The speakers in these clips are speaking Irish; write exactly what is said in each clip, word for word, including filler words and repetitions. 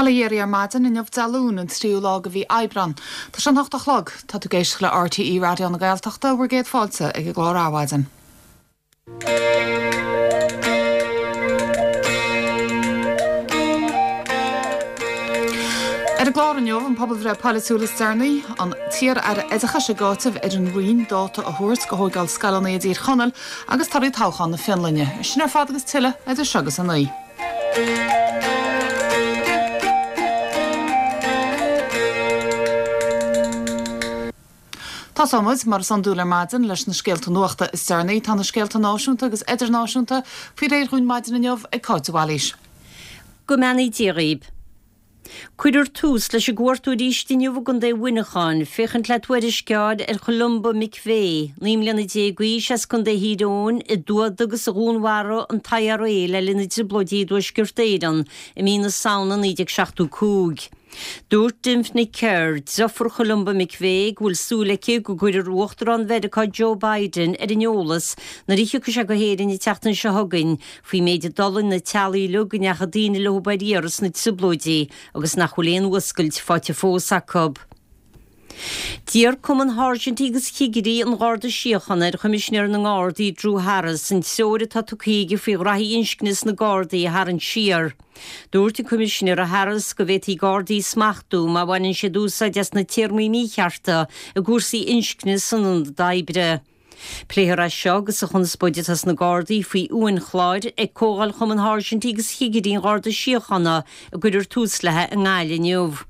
Bail ó Dhia oraibh ar maidin inniu Dé Luain an tríú lá de mhí Aibreán. Tá sé an hocht a chlog, tá tú ag éisteacht le RTÉ Raidió na Gaeltachta bhur gcéad fáilte ag an gclár Adhmhaidin. Ar an gclár inniu an pobalbhreith polaitiúil is deireanaí, an t-iar-aire oideachais ag áiteamh ar an Roinn dáta a thabhairt do thógáil scoileanna i dTír Chonaill agus torthaí toghchán na Fionlainne. Sin ar fad agus tuilleadh idir seo agus a naoi. Tosóidh muid, mar is iondúil ar maidin, leis na scéalta nuachta is deireanaí. Tá na scéalta náisiúnta agus idirnáisiúnta faoi réir dhúinn maidin inniu ag Cáit de Bhailís. Go mbeannaí Dia dhaoib. Cuirfear tús leis an gcuartú arís inniu i gContae Mhuineacháin féachaint le tuairisc a fháil ar Cholumba McVeigh, naoi mbliana déag d'aois as Contae Thír Eoghain, a d'fhuadaigh agus a dhúnmharaigh an t-IRA le linn na dTrioblóidí i dTuaisceart Éireann i mí na Samhna naoi déag seachtó cúig. Dúirt Dymphna Kerr, deirfiúr Cholumba McVeigh, go bhfuil súil aici go gcuirfear Uachtarán Mheiriceá Joe Biden ar an eolas nuair a thiocfaidh sé go hÉirinn an tseachtain seo chugainn faoin méid a d'fhulaing na teaghlaigh uilig go ndeachaigh daoine leo ar iarraidh sna Trioblóidí agus nach bhfuil aon fhuascailt faighte fós acu. D'iarr Cumann Sháirsintí agus Chigirí an Gharda Síochána ar Choimisinéir na nGardaí, Drew Harris, an treoir atá tugtha aige faoi ghraithí inscne sna Gardaí a tharraingt siar. Dúirt an Coimisinéir Harris go bhféadfaí Gardaí a smachtú má bhaineann siad úsáid as na téarmaí míchearta i gcúrsaí inscne san ionad oibre. Pléifear é seo agus an chonspóid atá sna Gardaí faoi uainchláir ag Comhdháil Chumann Sháirsintí agus Chigirí an Gharda Síochána a gcuirfear tús léi i nGaillimh inniu.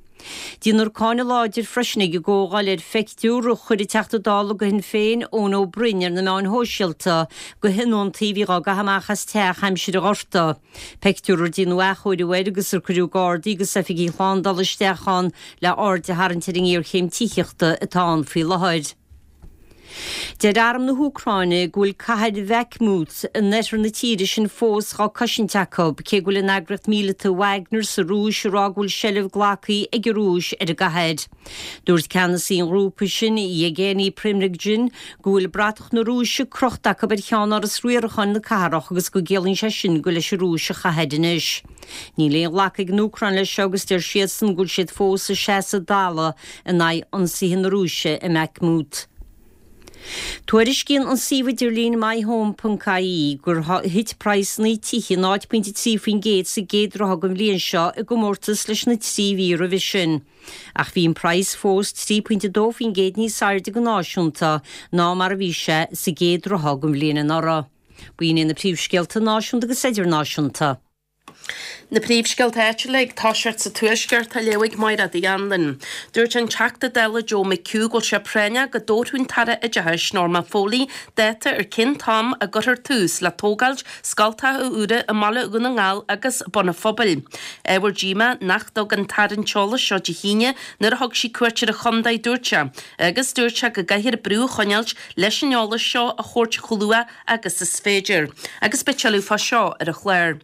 Déanfar cáineadh láidir freisin ag an gcomhdháil ar phictiúr a chuir an Teachta Dála do Shinn Féin, Eoin Ó Broin, ar na meáin shóisialta de thionóntaí a bhí dhá gcaitheamh amach as teach aimsir an Ghorta, pictiúr ar déanadh athchóiriú air agus ar cuireadh Gardaí agus oifigigh shlándála isteach ann le aird a tharraingt ar an ngéarchéim tithíochta atá ann faoi láthair. Deir Arm na hÚcráine go bhfuil cathair Bhakhmut in oirthear na tíre sin fós dhá cosaint acu, cé go bhfuil an eagraíocht míleata Wagner sa Rúis ag rá go bhfuil seilbh glactha ag an Rúis ar an gcathair. Dúirt ceannasaí an ghrúpa sin, Yevgeny Prigozhin, go bhfuil bratach na Rúise crochta acu ar cheannáras riaracháin na cathrach agus go gciallaíonn sé sin gur leis an Rúis an chathair anois. Níl aon ghlacadh ag an Úcráin leis seo agus deir siadsan go bhfuil siad fós ag seasamh a dtalamh in aghaidh ionsaithe na Rúise i mBakhmut. Tuairiscíonn an suíomh idirlín MyHome ponc ie gur thit praghsanna tithe náid pointe trí faoin gcéad sa gcéad ráithe den bhliain seo i gcomórtas leis na trí mhí roimhe sin. Ach bhí an praghas fós trí pointe dó faoin gcéad níos airde go náisiúnta ná mar a bhí sé sa gcéad ráithe den bhliain anuraidh. B'in iad na príomhscéalta náisiúnta agus idirnáisiúnta. Na príomhscéalta áitiúla ag toiseacht sa Tuaisceart á léamh ag Máire Uí Anluain. Dúirt an Teachta Dála Joe McHugh go bhfuil sé práinneach go dtabharfadh an tAire Oideachais Norma Foley dáta ar cén t-am a gcuirfear tús le tógáilt scoltacha úra i mBaile Dhún na nGall agus Bun an Phobail. Ábhar díomá nach dtug an tAire an t-eolas seo Dé hAoine nuair a thug sí cuairt ar an chontae, dúirt sé, agus dúirt sé go gcaithfear brú a choinneáilt leis an eolas seo a thabhairt chomh luath agus is féidir. Agus beidh tuilleadh fá seo ar an chlár.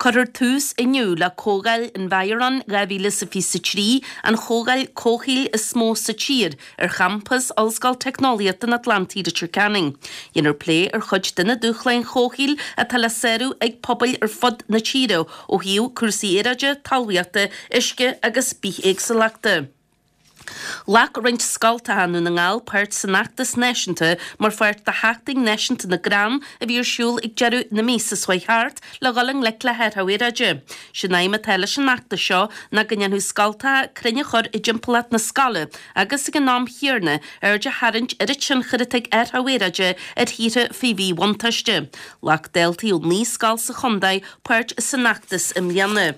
Cuirfear tús inniu le Comhdháil Environ dhá mhíle is a fiche a trí, an chomhdháil comhshaoil is mó sa tír, ar champas Ollscoil Teicneolaíochta an Atlantaigh Leitir Ceanainn. Déanfar plé ar chuid de na dúshláin chomhshaoil atá le sárú ag pobail ar fud na tíre ó thaobh cúrsaí aeráide, talmhaíochta, uisce agus bithéagsúlachta. Ghlac roinnt scoltacha i nDún na nGall páirt san fheachtas náisiúnta mar pháirt de Sheachtain Náisiúnta na gCrann a bhí ar siúl ag deireadh na míosa seo chuaigh thart le dhul i ngleic le hathrú aeráide. Sé'n aidhm atá leis an fheachtas seo ná go ndéanfadh scoltacha crainn a chur i dtimpeallacht na scoile agus ag an am chéarna aird a tharraingt ar an tionchar atá ag athrú aeráide ar thíortha faoi mhíbhuntáiste. Ghlac daltaí ó naoi scoil sa chontae páirt san fheachtas i mbliana.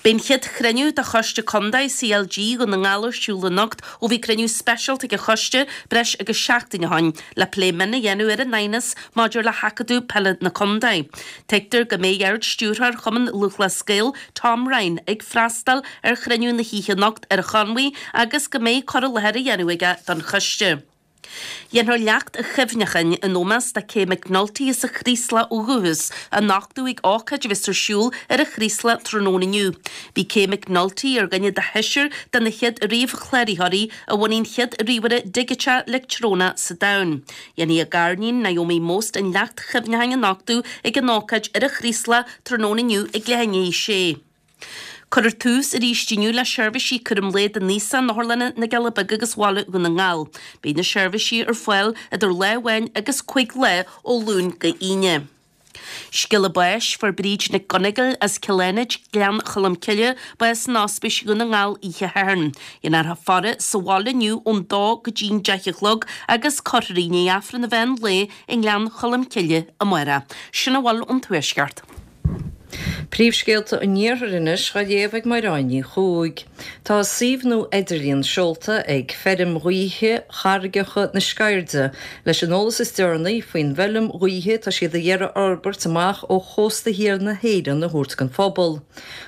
Beidh an chéad chruinniú de Choiste Contae CLG Dhún na nGall ar siúl anocht ó bhí cruinniú speisialta ag an choiste breis agus seachtain ó shin le plé mion a dhéanamh ar an aighneas maidir le hAcadamh Peile na Contae. Tuigtear go mbeidh Ard-Stiúrthóir Chumann Lúthchleas Gael, Tom Ryan, ag freastal ar chruinniú na hoíche anocht ar an Chonmhaigh agus go mbeidh cur i láthair á dhéanamh aige don choiste. Dhéanfar leacht chuimhneacháin in ómós do Kay McNulty as an Chraoslach ó dhúchas a nochtadh ag ócáid a bheas ar siúl ar an Chraoslach tráthnóna inniu. Bhí Kay McNulty ar dhuine de sheisear de na chéad ríomhchláraitheoirí a bhunaigh an chéad ríomhaire digiteach leictreonach sa domhan. Dhéanfaidh a gariníon Naomi Most an leacht chuimhneacháin a nochtadh ag an ócáid ar an Chraoslach tráthnóna inniu ag leath i ndiaidh a sé. Cuirfear tús arís inniu le seirbhísí cúram lae don aosach in otharlanna na gCealla Beaga agus Bhaile Dhún na nGall. Beidh na seirbhísí ar fáil idir lá amháin agus cúig lá ó Luan go hAoine. Scéala báis fuair Bríd Nic Dhonnagáin as Cill Fhánaid, Gleann Cholm Cille, bás in Ospís Dhún na nGall oíche Shathairn. Déanfar a faire sa bhaile inniu ón dó go dtí'n deich a chlog agus cuirfear í i ndiaidh Aifreann an mheán lae i nGleann Cholm Cille amárach. Sin a bhfuil ón Tuaisceart. Príomhscéalta an Iarthair anois á léamh ag Máire Ní Chuaig. Tá suíomh nua idirlín seolta ag feirm ghaoithe Charraigeacha na Sceirde leis an eolas is deireanaí faoin bhfeirm ghaoithe tá siad ag iarraidh a fhorbairt amach ó chósta thiar na hÉireann a thabhairt don phobal.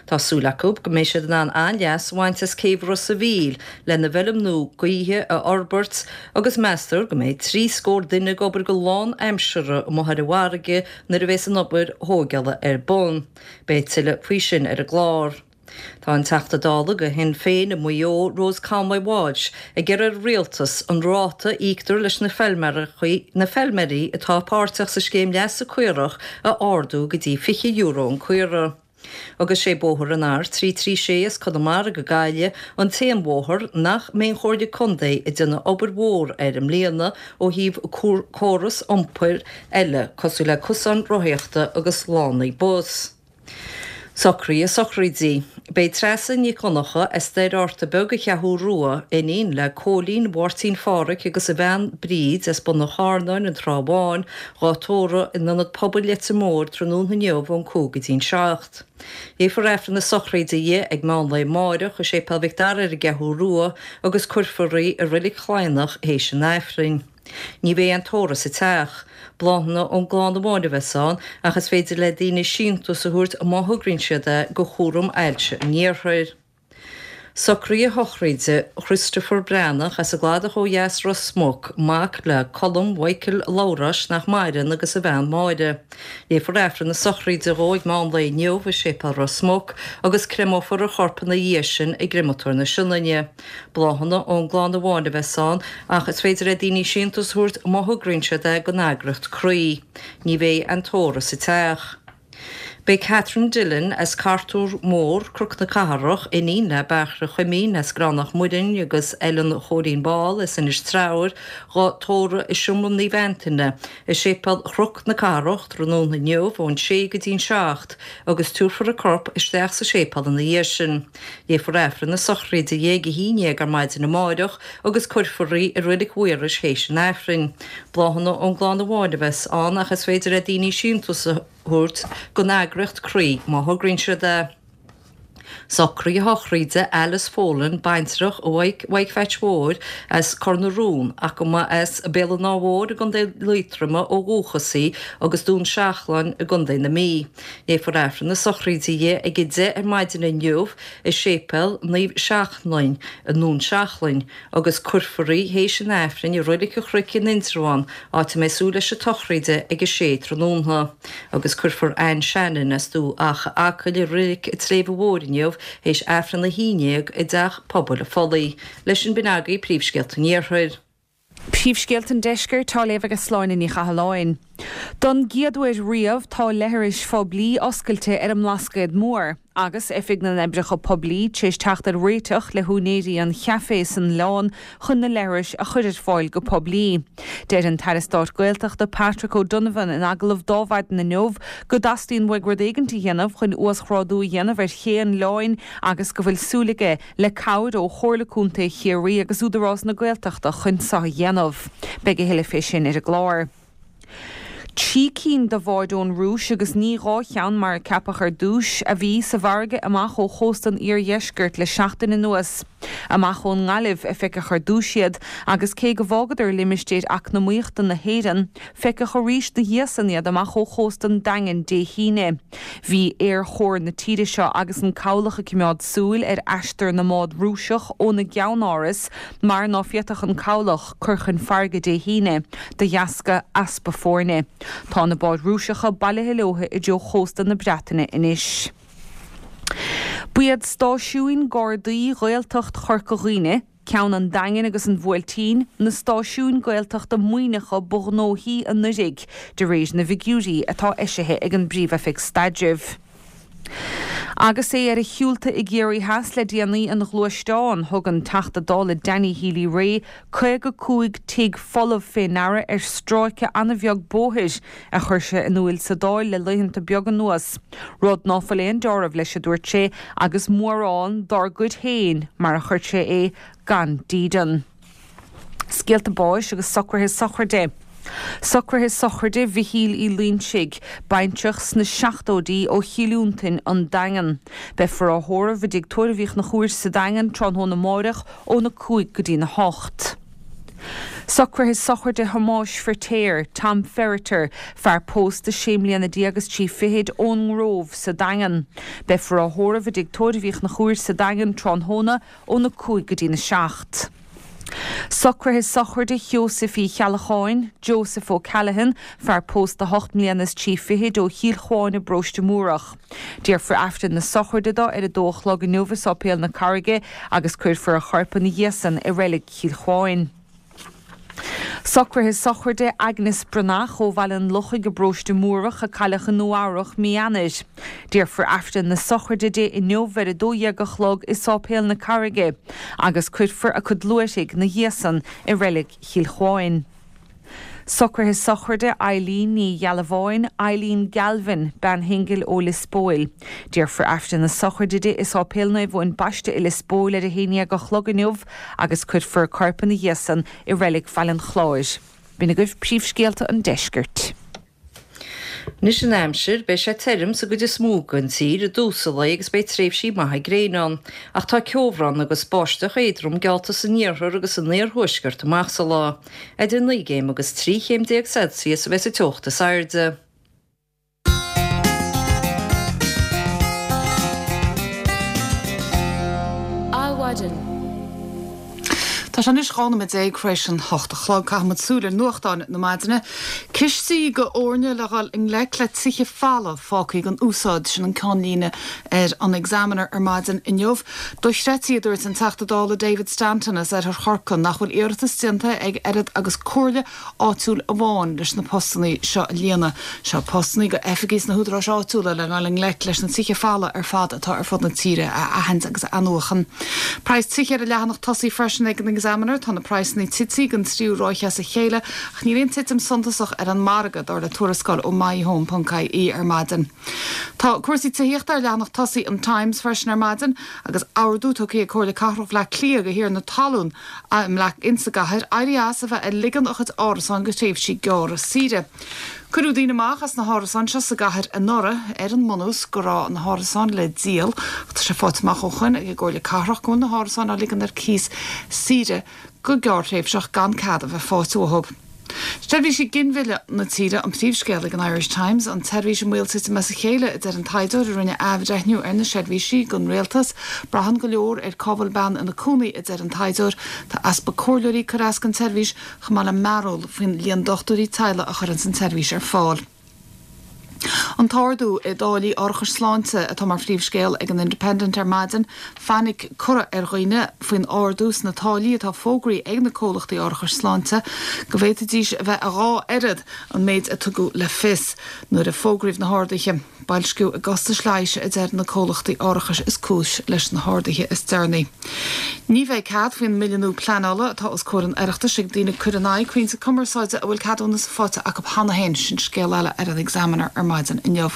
Tá súil acu go mbeidh siad in ann an-leas a bhaint as céibh Ros a' Mhíl lena bhfeirm nua gaoithe a fhorbairt agus meastar go mbeidh trí scór duine ag obair go lánaimseartha amuigh ar an bhfarraige nuair a bheas an obair thógála ar bun. Beidh tuilleadh faoi sin ar an gclár. Tá an Teachta Dála do Shinn Féin i Maigh Eo, Rose Conway Walsh, ag iarraidh ar an rialtas an ráta a íoctar leis na na feilméaraí atá páirteach sa scéim leasa caorach a ardú go dtí fiche euro an caora. Agus sé bóthar an R trí trí sé as Conamara go Gaillimh an t-aon bhóthar nach mbeidh an Chomhairle Contae ag déanamh obair mhór air i mbliana ó thaobh córas iompair eile cosúil le cosáin rothaíochta agus lánaí bus. Socruithe sochraide. Beidh Treasa Nic Dhonncha as Doire Fhátharta Beag an Cheathrú Rua, iníon le Cóilín Mháirtín Phádhraic agus a bhean Bríd as Bun an Charnáin, an Trá Bháin, dhá tórramh in Ionad Pobail Leitir Móir tráthnóna inniu ón cúig go dtí'n seacht. Léifear Aifreann na sochraide di ag meán lae amárach i Séipéal Mhic Dara ar an gCeathrú Rua agus cuirfear í i Reilig Chladhnach théis an Aifrinn. Ní bheidh aon tórramh sa teach. Bláthanna ón gclann amháin a bheas ann ach is féidir le daoine síntiús a thabhairt má thograíonn siad é do Chúram Ailse an Iarthair. Socruithe sochraide Christopher Breathnach as an gCladach ó dheas Ros Muc, mac le Colm Mhichael Labhráis nach maireann agus a bhean Máire. Léifear Aifreann na sochraide dhó ag meán lae inniu i Séipéal Ros Muc agus créamófar a chorp ina dhiaidh sin i gcreamatóir na Sionainne. Bláthanna ón gclann amháin a bheas ann ach is féidir le daoine síntiús a thabhairt má thograíonn siad é don eagraíocht Croí. Ní bheidh aon tórramh sa teach. Beidh Catherine Dillon as Cartúr Mór, Cnoc na Cathrach, iníon le Bairbre Chuimín as Gránach Muireann agus Ellen Chóilín Ball as Inis Treabhair, dhá tórramh i Seomra Naomh Antaine i Séipéal Chnoc na Cathrach tráthnóna inniu ón sé go dtí'n seacht agus tabharfar a corp isteach sa séipéal ina dhiaidh sin. Léifear Aifreann na sochraide di ag a haon déag ar maidin amárach agus cuirfear í i Reilig Mhaorais théis an Aifrinn. Bláthanna ón gclann amháin a bheas ann ach is féidir le daoine síntiús a thabhairt don eagraíocht Croí má thograíonn siad é. Socruithe sochraide Alice Folan, baintreach Mhaidhc Mhaidhc Pheait Mhóir as Cor na Rún ach go mba as Béal an Átha Mhóir i gContae Liatroma ó dhúchas í agus Dún Seachlainn i gContae na Mí. Léifear Aifreann na sochraide di ag a deich ar maidin inniu i Séipéal Naomh Seachlainn i nDún Seachlainn agus cuirfear í théis an Aifrinn i Reilig an Chnoic in Indreabhán, áit a mbeidh súil leis an tsochraid ag a sé tráthnóna. Agus cuirfear Anne Shannon as Dumha Acha Acaill i Reilig an tSléibhe Mhóir inniu théis Aifreann a haon déag i dTeach Pobail an Phollaigh. Leis sin b'in agaibh príomhscéalta an Iarthair. Príomhscéalta an Deiscirt á léamh ag Sláine Ní Chathalláin. Don gcéad uair riamh tá leithris phoiblí oscailte ar an mBlascaod Mór, agus Oifig na nOibreacha Poiblí tar éis teacht ar réiteach le húinéirí an chaifé san oileán chun na leithris a chur ar fáil go poiblí. Deir an tAire Stáit Gaeltachta Patrick O'Donovan in agallamh d'Adhmhaidin inniu go dteastaíonn uaidh rud éigin a dhéanamh chun uasghrádú a dhéanamh ar ché an oileáin agus go bhfuil súil aige le cabhair ó Chomhairle Contae Chiarraí agus Údarás na Gaeltachta chun seo a dhéanamh. Beidh a thuilleadh fé sin ar an gclár. Trí cinn de bháid ón Rúis agus ní dhá cheann mar a ceapadh ar dtús a bhí sa bhfarraige amach ó chósta an iardheiscirt le seachtain anuas. Amach ón nGaillimh a feiceadh ar dtús iad agus cé go bhfágadar limistéir eacnamaíochta na hÉireann, feiceadh arís ina dhiaidh san iad amach ó chósta an Daingin Dé hAoine. Bhí aerchór na tíre seo agus an cabhlach ag coimeád súil ar aistear na mbád Rúiseach óna gceannáras mar ná féadfadh an cabhlach cur chun farraige Dé hAoine de dheasca easpa foirne. Tá na báid Rúiseacha bailithe leo i dtreo chósta na Breataine anois. Ba iad stáisiúin Gardaí Ghaeltacht Chorca Dhuibhne, ceann an Daingin agus an Bhuailtín, na stáisiúin Gaeltachta maoithneacha ba ghnóthaí anuraidh, de réir na bhfigiúirí atá eisithe ag an bPríomh-Oifig Staidrimh. Agus é ar a shiúlta i gCiarraí Theas le déanaí ina ghluaisteán, thug an Teachta Dála Danny Healy-Rae caoga cúig tigh folamh fé ndeara ar stráice an-bheag bóthair, a chuir sé in iúil sa Dáil le laethanta beaga anuas. Rud ná fuil aon deáramh leis, a dúirt sé, agus mórán dár gcuid féin, mar a chuir sé é, gan dídean. Scéalta báis agus socruithe sochraide. Socruithe sochraide Mhichíl Uí Loinsigh, baintreach sna seachtóidí ó Chill Fhionntain, An Daingean. Beifear á thórramh i dTigh Tórraimh Uí Chonchúir sa Daingean tráthnóna amáireach óna cúig go dtína hocht. Socruithe sochraide Thomáis Firtéar, Tom Ferriter, fear pósta sé mbliana déag is trí fichid ón nGrove sa Daingean. Beifear á thórramh i dTigh Tórraimh Uí Chonchúir sa Daingean tráthnóna óna cúig go dtína seacht. Socruithe sochraide Sheosaimh Uí Cheallacháin, Joseph O'Callaghan, fear pósta ocht mbliana is trí fichid ó Chill Chuáin i bParóiste Múrach. Déarfar Aifreann na sochraide dó ar a dó a chlog inniu i Sáipéal na Carraige agus cuirfear a chorp ina dhiaidh san i Reilig Chill Chuáin. Socruithe sochraide Agnes Breathnach ó Bhaile an Lochaigh i bParóiste Múrach a cailleadh i Nua Eabhrach mí Eanáir. Déarfar Aifreann na sochraide di inniu ar a dó dhéag a chlog i Sáipéal na Carraige agus cuirfear a cuid luaithrigh ina dhiaidh san i Reilig Chill Chuáin. Socruithe sochraide Eileen Ní Ghealbháin, Eileen Galvin, bean shingil ó Lios Póil. Déarfar Aifreann na sochraide di i Sáipéal Naomh Eoin Baiste i Lios Póil ar a haon dhéag a chlog inniu agus cuirfear a corp ina dhiaidh san i Reilig Bhaile an Chláir. B'in agaibh príomhscéalta an deiscirt. Anois an aimsir, beidh sé tirim sa gcuid is mó den tír i dtús an lae agus beidh tréimhsí maithe gréine ann, ach tá ceobhrán agus báisteach éadrom geallta san iarthar agus san iarthuaisceart amach sa lá. Idir naoi gcéim agus trí chéim déag Celsius a bheas an teocht is airde. Adhmhaidin. Tá sé anois dhá nóiméad déag tar éis an hocht a chlog. Caithfimid súil ar nuachtáin na maidine. Cistí go fhoirne le dhul i ngleic le tithe folamh fágtha gan úsáid, sin an ceannlíne ar an Examiner ar maidin inniu. Dochreidte, a dúirt an Teachta Dála David Stanton as Oirthear Chorcaí, nach bhfuil iarratas déanta ag oiread agus comhairle áitiúil amháin leis na postanna seo a líonadh. Seo postanna go oifigí sna húdaráis áitiúla le dhul i ngleic leis na tithe folamh ar fad atá ar fud na tíre a aithint agus a athnuachan. Praghas tithe ar an leathanach tosaigh freisin ag an Examiner, tá na praghsanna tite don tríú ráithe as a chéile ach níl aon titim suntasach ar an margadh, dar le tuarascáil ó myhome ponc ie ar maidin. Tá cúrsaí tithíochta ar leathanach tosaigh an Times freisin ar maidin agus ordú tugtha ag Comhairle Cathrach Bhaile Átha Cliath do thiarna talún insa gcathair éirí as a bheith ag ligean a chuid árasán go tréimhsí gearra saoire. Cuireadh daoine amach as na hárasáin seo sa gcathair anuraidh ar an mbunús go raibh na hárasáin le díol ach tá sé faighte amach ó shoin ag an gComhairle Cathrach go bhfuil na hárasáin á ligean ar cíos saoire go gearrthréimhseach gan cead a bheith faighte uathu. Seirbhísí ginmhilleadh na tíre an príomhscéal ag an Irish Times, an tseirbhís i mbaol titim as a chéile, a deir an taighdeoir a rinne athbhreithniú ar na seirbhísí don rialtas. Braitheann go leor ar cá bhfuil bean ina cónaí, a deir an taighdeoir. Tá easpa comhairleoirí ag cur as don tseirbhís, chomh maith le mearbhall faoin líon dochtúirí teaghlaigh a chuireanns an tseirbhís ar fáil. An t-ardú i dtáillí árachais sláinte atá mar phríomhscéal ag an Independent ar maidin. Fainic curtha ar dhaoine faoin ardú sna táillí atá fógraithe ag na comhlachtaí árachais sláinte go bhféadfaidís a bheith a dhá oiread an méid a tugadh le fios nuair a fógraíodh na harduithe. Boilsciú i gcostais leighis a deir na comhlachtaí árachais is cúis leis na harduithe is deireanaí. Ní bheidh cead faoin mbille nua pleanála atá os comhair an Oireachtais ag daoine cur in aghaidh crainnte cumarsáide a bhfuil ceadúnas faighte acu cheana féin, sin scéal eile ar an Examiner ar maidin inniu.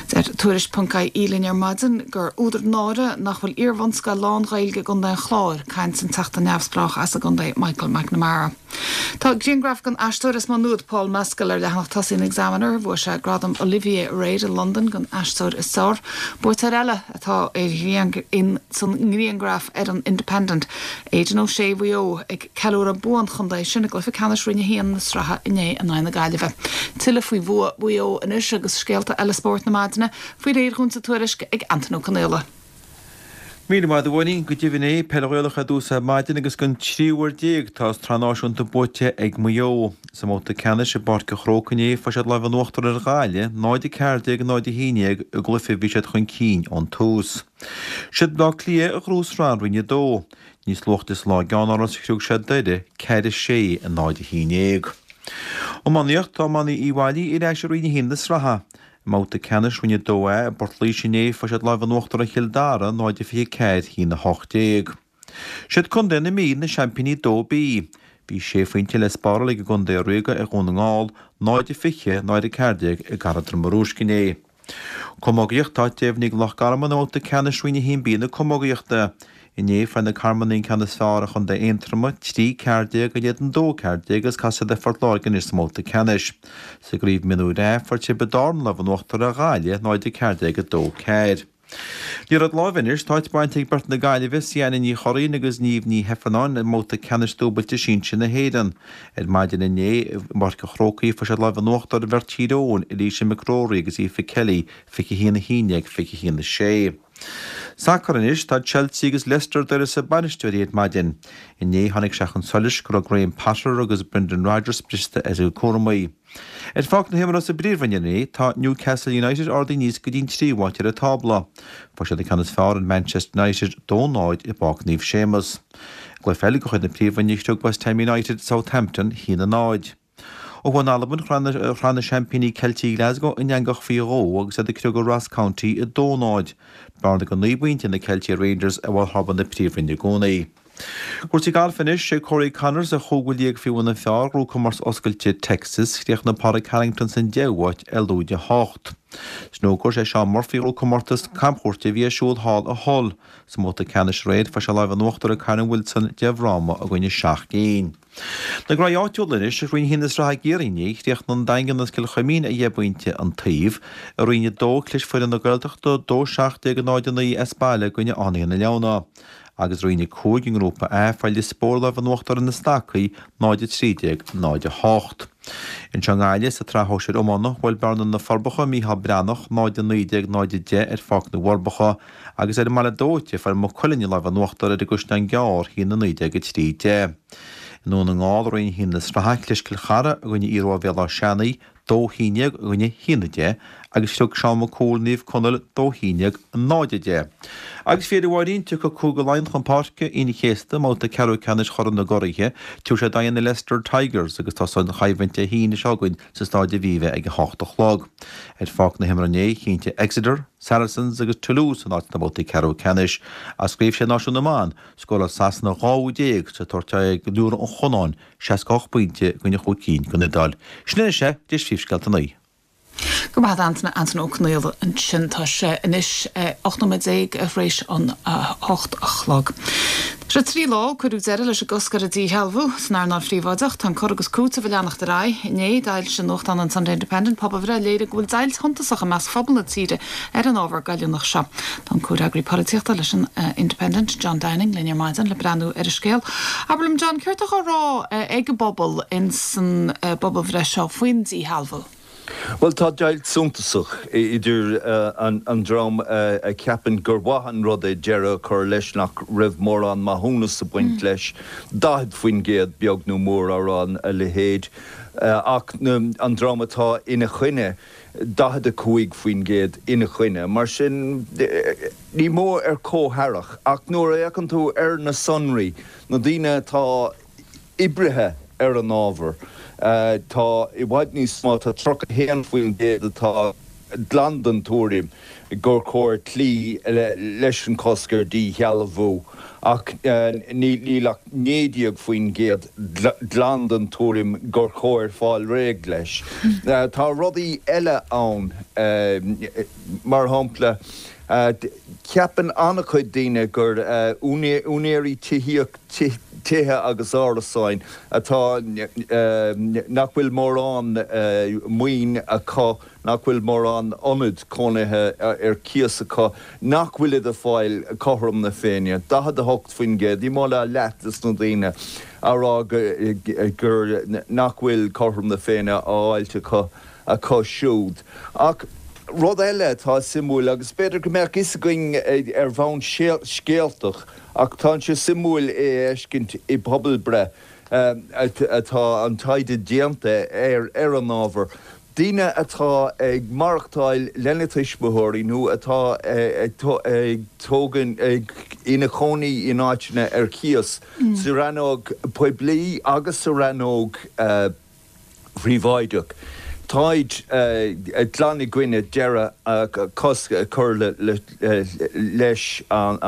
Deir Tuairisc ponc ie linn ar maidin gur údar náire nach bhfuil iarbhunscoil lán-Ghaeilge i gContae an Chláir, caint an Teachta neamhspleách as an gcontae Michael McNamara. Tá grianghraf den aisteoir as Maigh Nuad, Paul Mescal, ar leathanach tosaigh an Examiner. Bhuaigh sé gradam Olivier aréir i Londain don aisteoir is fearr. Buaiteoir eile atá ar in san ngrianghraf ar an Independent, Aidan O'Shea Mhaigh Eo, ag ceiliúradh bua an chontae sin i gcluiche ceannais Roinn a haon na sraithe inné in aghaidh na Gaillimhe. Tuilleadh faoi bhua Mhaigh Eo anois agus scéalta eile spóirt na maidine faoi réir dhúinn sa tuairisc ag Antain Ó Conaola. Míle maith agat a Mháirín, go deimhin é, Peil Ghaelach ar dtús ar maidin agus don tríú huair déag tá an tSraith Náisiúnta buaite ag Maigh Eo. Sa mbabhta ceannais i bPáirc an Chrócaigh inné fuair siad lámh in uachtar ar Ghaillimh, náid a ceathair déag, náid a haon déag i gcluiche a bhí siad chun cinn ón tús. Siad Bleá Cliath a ghnóthaigh Sraith Roinn a dó. Níos luaithe sa lá i gceannáras chriúigh siad Doire, ceathair a sé, náid a haon déag. Iománaíocht, Tá iománaí Uíbh Fhailí ar ais i Roinn a haon na sraithe. I mbabhta ceannais Roinn a dó A i bPort Laoise inné fuair siad lámh in uachtar ar Chill Dara, náid a fiche ceathair, a haon a hocht déag. Siad Contae na Mí na seaimpíní dó B. Bhí sé phointe le spáráil ag an gcontae ríoga ar Dhún na nGall, náid a fiche, náid a ceathair déag i gCathair Droma Rúisc inné. Camógaíocht Tá áit deimhnithe ag Loch Garman i mbabhta ceannais Roinn a haon B na camógaíochta. Inné fuair na Carmanaigh an ceann is fearr ar Chontae Aontroma, trí ceathair déag in éadan dó ceathair déag agus casfaidh siad ar Phort Láirge anois sa mbabhta ceannais. Sa gcraobh mionúir A fuair Tiobraid Árann lámh in uachtar ar Ghaillimh, náid a ceathair déag a dó ceathair. Liathróid láimhe anois, tá áit bainte ag beirt na Gaillimhe, Siana Ní Churraoin agus Niamh Ní Heifearnáin i mbabhta ceannais dúbailte sinsir na hÉireann. Ar maidin inné i bPáirc an Chrócaigh fuair siad lámh in uachtar ar bheirt Thír Eoghain, Eilíse McCrory agus Aoife Kelly, fiche a haon a haon déag, fiche a haon a sé. Sacar anois, tá Chelsea agus Leicester d'uireasa bainisteoirí ar maidin. Inné tháinig sé chun solais go raibh Graham Potter agus Brendan Rodgers scriosta as a gcuid cúramaí. Ar pháirc na himeartha sa bPríomhroinn inné, tá Newcastle United ardaithe aníos go dtí an tríú háit ar an tábla. Fuair siad an ceann is fearr ar Manchester United, dó náid i bPáirc Naomh Séamus. I gcluiche eile de chuid na Príomhroinne chriog West Ham United Southampton, a haon a náid. Ó thuaidh in Albain, chroith na seaimpíní Ceiltigh Glasgow an eangach faoi dhó agus iad ag criogadh Ross County a dó náid. Bearna de naoi bpointe ag na Ceiltigh ar Rangers ar bharr thábla na Príomhroinne i gcónaí. Cúrsaí gailf anois, sé Corey Conners a chúigiú liag faoi bhun an phar a ghnóthaigh comórtas oscailte Texas. Chríochnaigh Pádraig Harrington san deichiú háit ar lúide a hocht. Snúcar, sé Shaun Murphy a ghnóthaigh comórtas camchuairte a bhí ar siúl thall i Hull. Sa mbabhta ceannais aréir fuair sé lámh in uachtar ar Kyren Wilson deich bhfráma i gcoinne seacht gcinn. Na graí áitiúla anois, i Roinn a haon na Sraithe i gCiarraí inné, chríochnaigh an Daingean agus Cill Chuimín ar dheich bpointe an taobh. I Roinn a dó, chlis foireann na Gaeltachta dó seacht déag a náid a naoi as baile i gcoinne Fhánaithe na Leamhna. Agus i Roinn a cúig i nGrúpa A, fuair Lios Póil lámh in uachtar ar na Stacaigh, náid a trí déag, náid a hocht. Anseo i nGaillimh, sa tsraith shóisir iomána, bhuail Bearna na Forbacha Mícheál Breathnach, náid a naoi déag, náid a deich ar Pháirc na bhForbacha, agus ar an mBaile Dóite, fuair Maigh Cuilinn an lámh in uachtar ar an gCaisleán Gearr, a haon a naoi déag, a trí deich. I nDún na nGall, i Roinn a haon na sraithe, chlis Cill Chartha i gcoinne Iarmhá Bhéal Átha Seanaidh, dó a haon déag i gcoinne a haon a deich, agus chriog Seán Mac Cumhaill Naomh Conaill dó a haon déag, náid a deich. Agus faoi dheireadh a Mháirín, tiocfaidh Cúige Laighean chun páirce Aoine an Chéasta i mbabhta ceathrú ceannais Chorn na gCuraithe. Tiocfaidh siad aghaidh na Leicester Tigers agus tosóidh an choimhlint Dé hAoine seo chugainn sa Staid Aviva ag a hocht a chlog. Ar pháirc na himeartha inné, chinntigh Exeter, Saracens agus Toulouse a n-áit sna babhtaí ceathrú ceannais. As i gCraobh Sé Náisiún na mBan, scóráil Sasana dhá úd déag sa tabhairt aghaidh ag Biorra an Chanáin, seasca a hocht pointe i gcoinne chúig cinn den Iodáil. Sin anois é, d'éis phríomhscéalta a naoi. Go raibh maith agat Antaine, Antaine Ó Conaola ansin. Tá sé anois ocht nóiméad déag tar éis an hocht a chlog. Tá sé trí lá ó cuireadh deireadh leis an gcosc ar an díshealbhú san earnáil phríobháideach. Tá an cur agus cúiteamh ag leanacht ar aghaidh. Inné, d'fhoilsigh nuachtán an Sunday Independent pobalbhreith a léirigh go bhfuil deighilt shuntasach i measc phobal na tíre ar an ábhar goilliúnach seo. Tá an comhfhreagraí polaitíochta leis an Independent, John Downing, linn ar maidin le breathnú ar an scéal. Abair liom, John, céard atá á rá ag an bpobal ins an bpobalbhreith seo faoin díshealbhú? Bhuel, tá deighilt suntasach idir an dream a cheapann gur mhaith an rud é deireadh a chur leis, nach raibh mórán maithiúnas ag baint leis, daichead faoin gcéad beag nó mór á rá a leithéid, ach an dream atá ina choinne, daichead a cúig faoin gcéad ina choinne. Mar sin, ní mór ar comhtharrac. Ach nuair a fhéachann tú ar na sonraí, na daoine atá oibrithe ar an ábhar, tá i bhfad níos mó, tá tríocha a haon faoin gcéad atá glan den tuairim gur chóir cloí leis an chosc ar dhíshealbhú, ach níl ach naoi déag faoin gcéad glan den tuairim gur chóir fáil réidh leis. Tá rudaí eile ann, mar shampla, ceapann an-chuid daoine gur úinéirí tithíochta, tithe agus árasáin atá, nach bhfuil mórán maoin acu, nach bhfuil mórán ionad cónaithe ar cíos acu, nach bhfuilid ag fáil cothrom na Féinne, daichead a hocht faoin gcéad, ní mó ná leath des na daoine á rá gur nach bhfuil cothrom na Féinne á fháilt acu acu siúd. Ach rud eile atá suimiúil, agus b'fhéidir go mbeadh fhios againn ar bhonn scéaltach, ach tá sé suimiúil é a fheiscint i bpobalbhreith atá an taighde déanta ar ar an ábhar, daoine atá ag maireachtáil lena tuismitheoirí nó atá ag tógaint ina chónaí in áiteanna ar cíos, sa rannóg poiblí agus sa rannóg phríobháideach. Táid glan i gcoinne deireadh cosc a chur leis an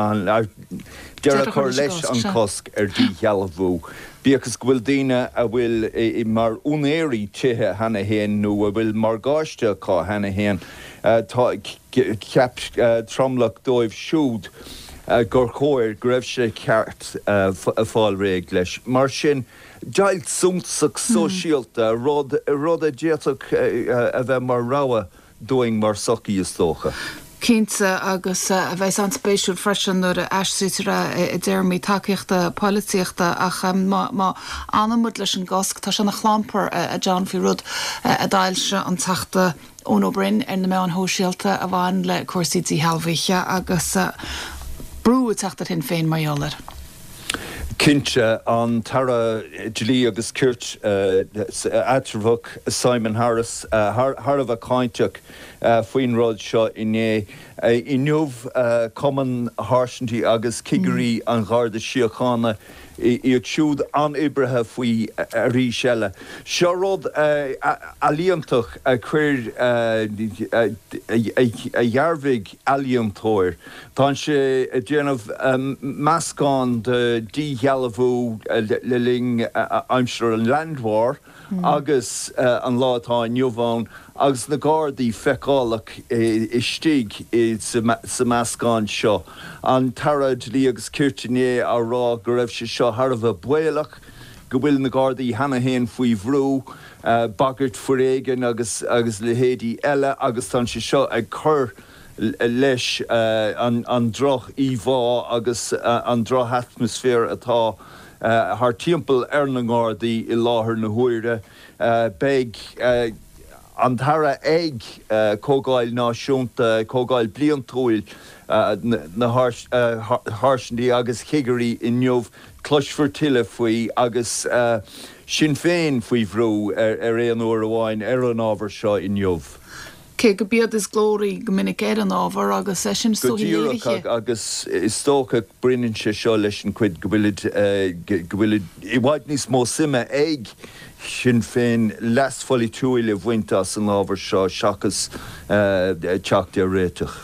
deireadh a chur leis an cosc ar dhíshealbhú. Bíodh is go bhfuil daoine a bhfuil mar úinéirí tithe cheana féin nó a bhfuil morgáiste acu cheana féin, tá cheap tromlach dóibh siúd gur chóir go raibh sé ceart fáil réidh leis. Mar sin, deighilt suntasach sóisialta, rud rud a d'fhéadfadh a bheith mar rogha dúinn mar sochaí is dócha. Cinnte, agus a bheas an-spéisiúil freisin nuair a aistrítear é i dtéarmaí tacaíochta polaitíochta ach má má fhanann muid leis an gcosc, tá sé ina chlampar a John faoi rud a d'fhoilsigh an Teachta Eoin Ó Broin ar na meáin shóisialta a bhain le cúrsaí díshealbhaithe agus brú ag teacht ar Shinn Féin mar gheall air. Cinnte, an tAire Dlí agus Cirt eatramhach Simon Harris thar a bheith cáinteach faoin rud seo inné. Inniu, Cumann Sháirsintí agus Cigirí an Gharda Síochána, iad siúd an-oibrithe faoi arís eile. Seo rud ealaíontach a chuir, a dhearbhaigh ealaíontóir. Tá sé ag déanamh meascán de dhíshealbhú le linn aimsir an Land War agus an lá atá inniu ann agus na Gardaí feiceálach istigh sa meascán seo. An tAire Dlí agus Cirt inné á rá go raibh sé seo thar a bheith baolach, go bhfuil na Gardaí cheana féin faoi bhrú, bagairt foréigin agus agus leithéidí eile agus tá sé seo ag cur leis an droch-íomhá agus an droch-atmaisféar atá thar timpeall ar na nGardaí i láthair na huaire. Beidh an tAire ag Comhdháil Náisiúnta, Comhdháil Bliantúil na Sháirsintí agus Chigirí inniu. Cloisfear tuilleadh faoi agus Sinn Féin faoi bhrú ar aon uair amháin ar an ábhar seo inniu. Cé gurb iad is glóraí go minic ar an ábhar agus é sin is Go dóichí díreach léirithe. agus is dócha baineann sé seo leis an chuid go bhfuilid go bhfuil i bhfad níos mó suime ag Sinn Féin leas pholaitiúil a bhaint as an ábhar seo seachas teacht ar réiteach.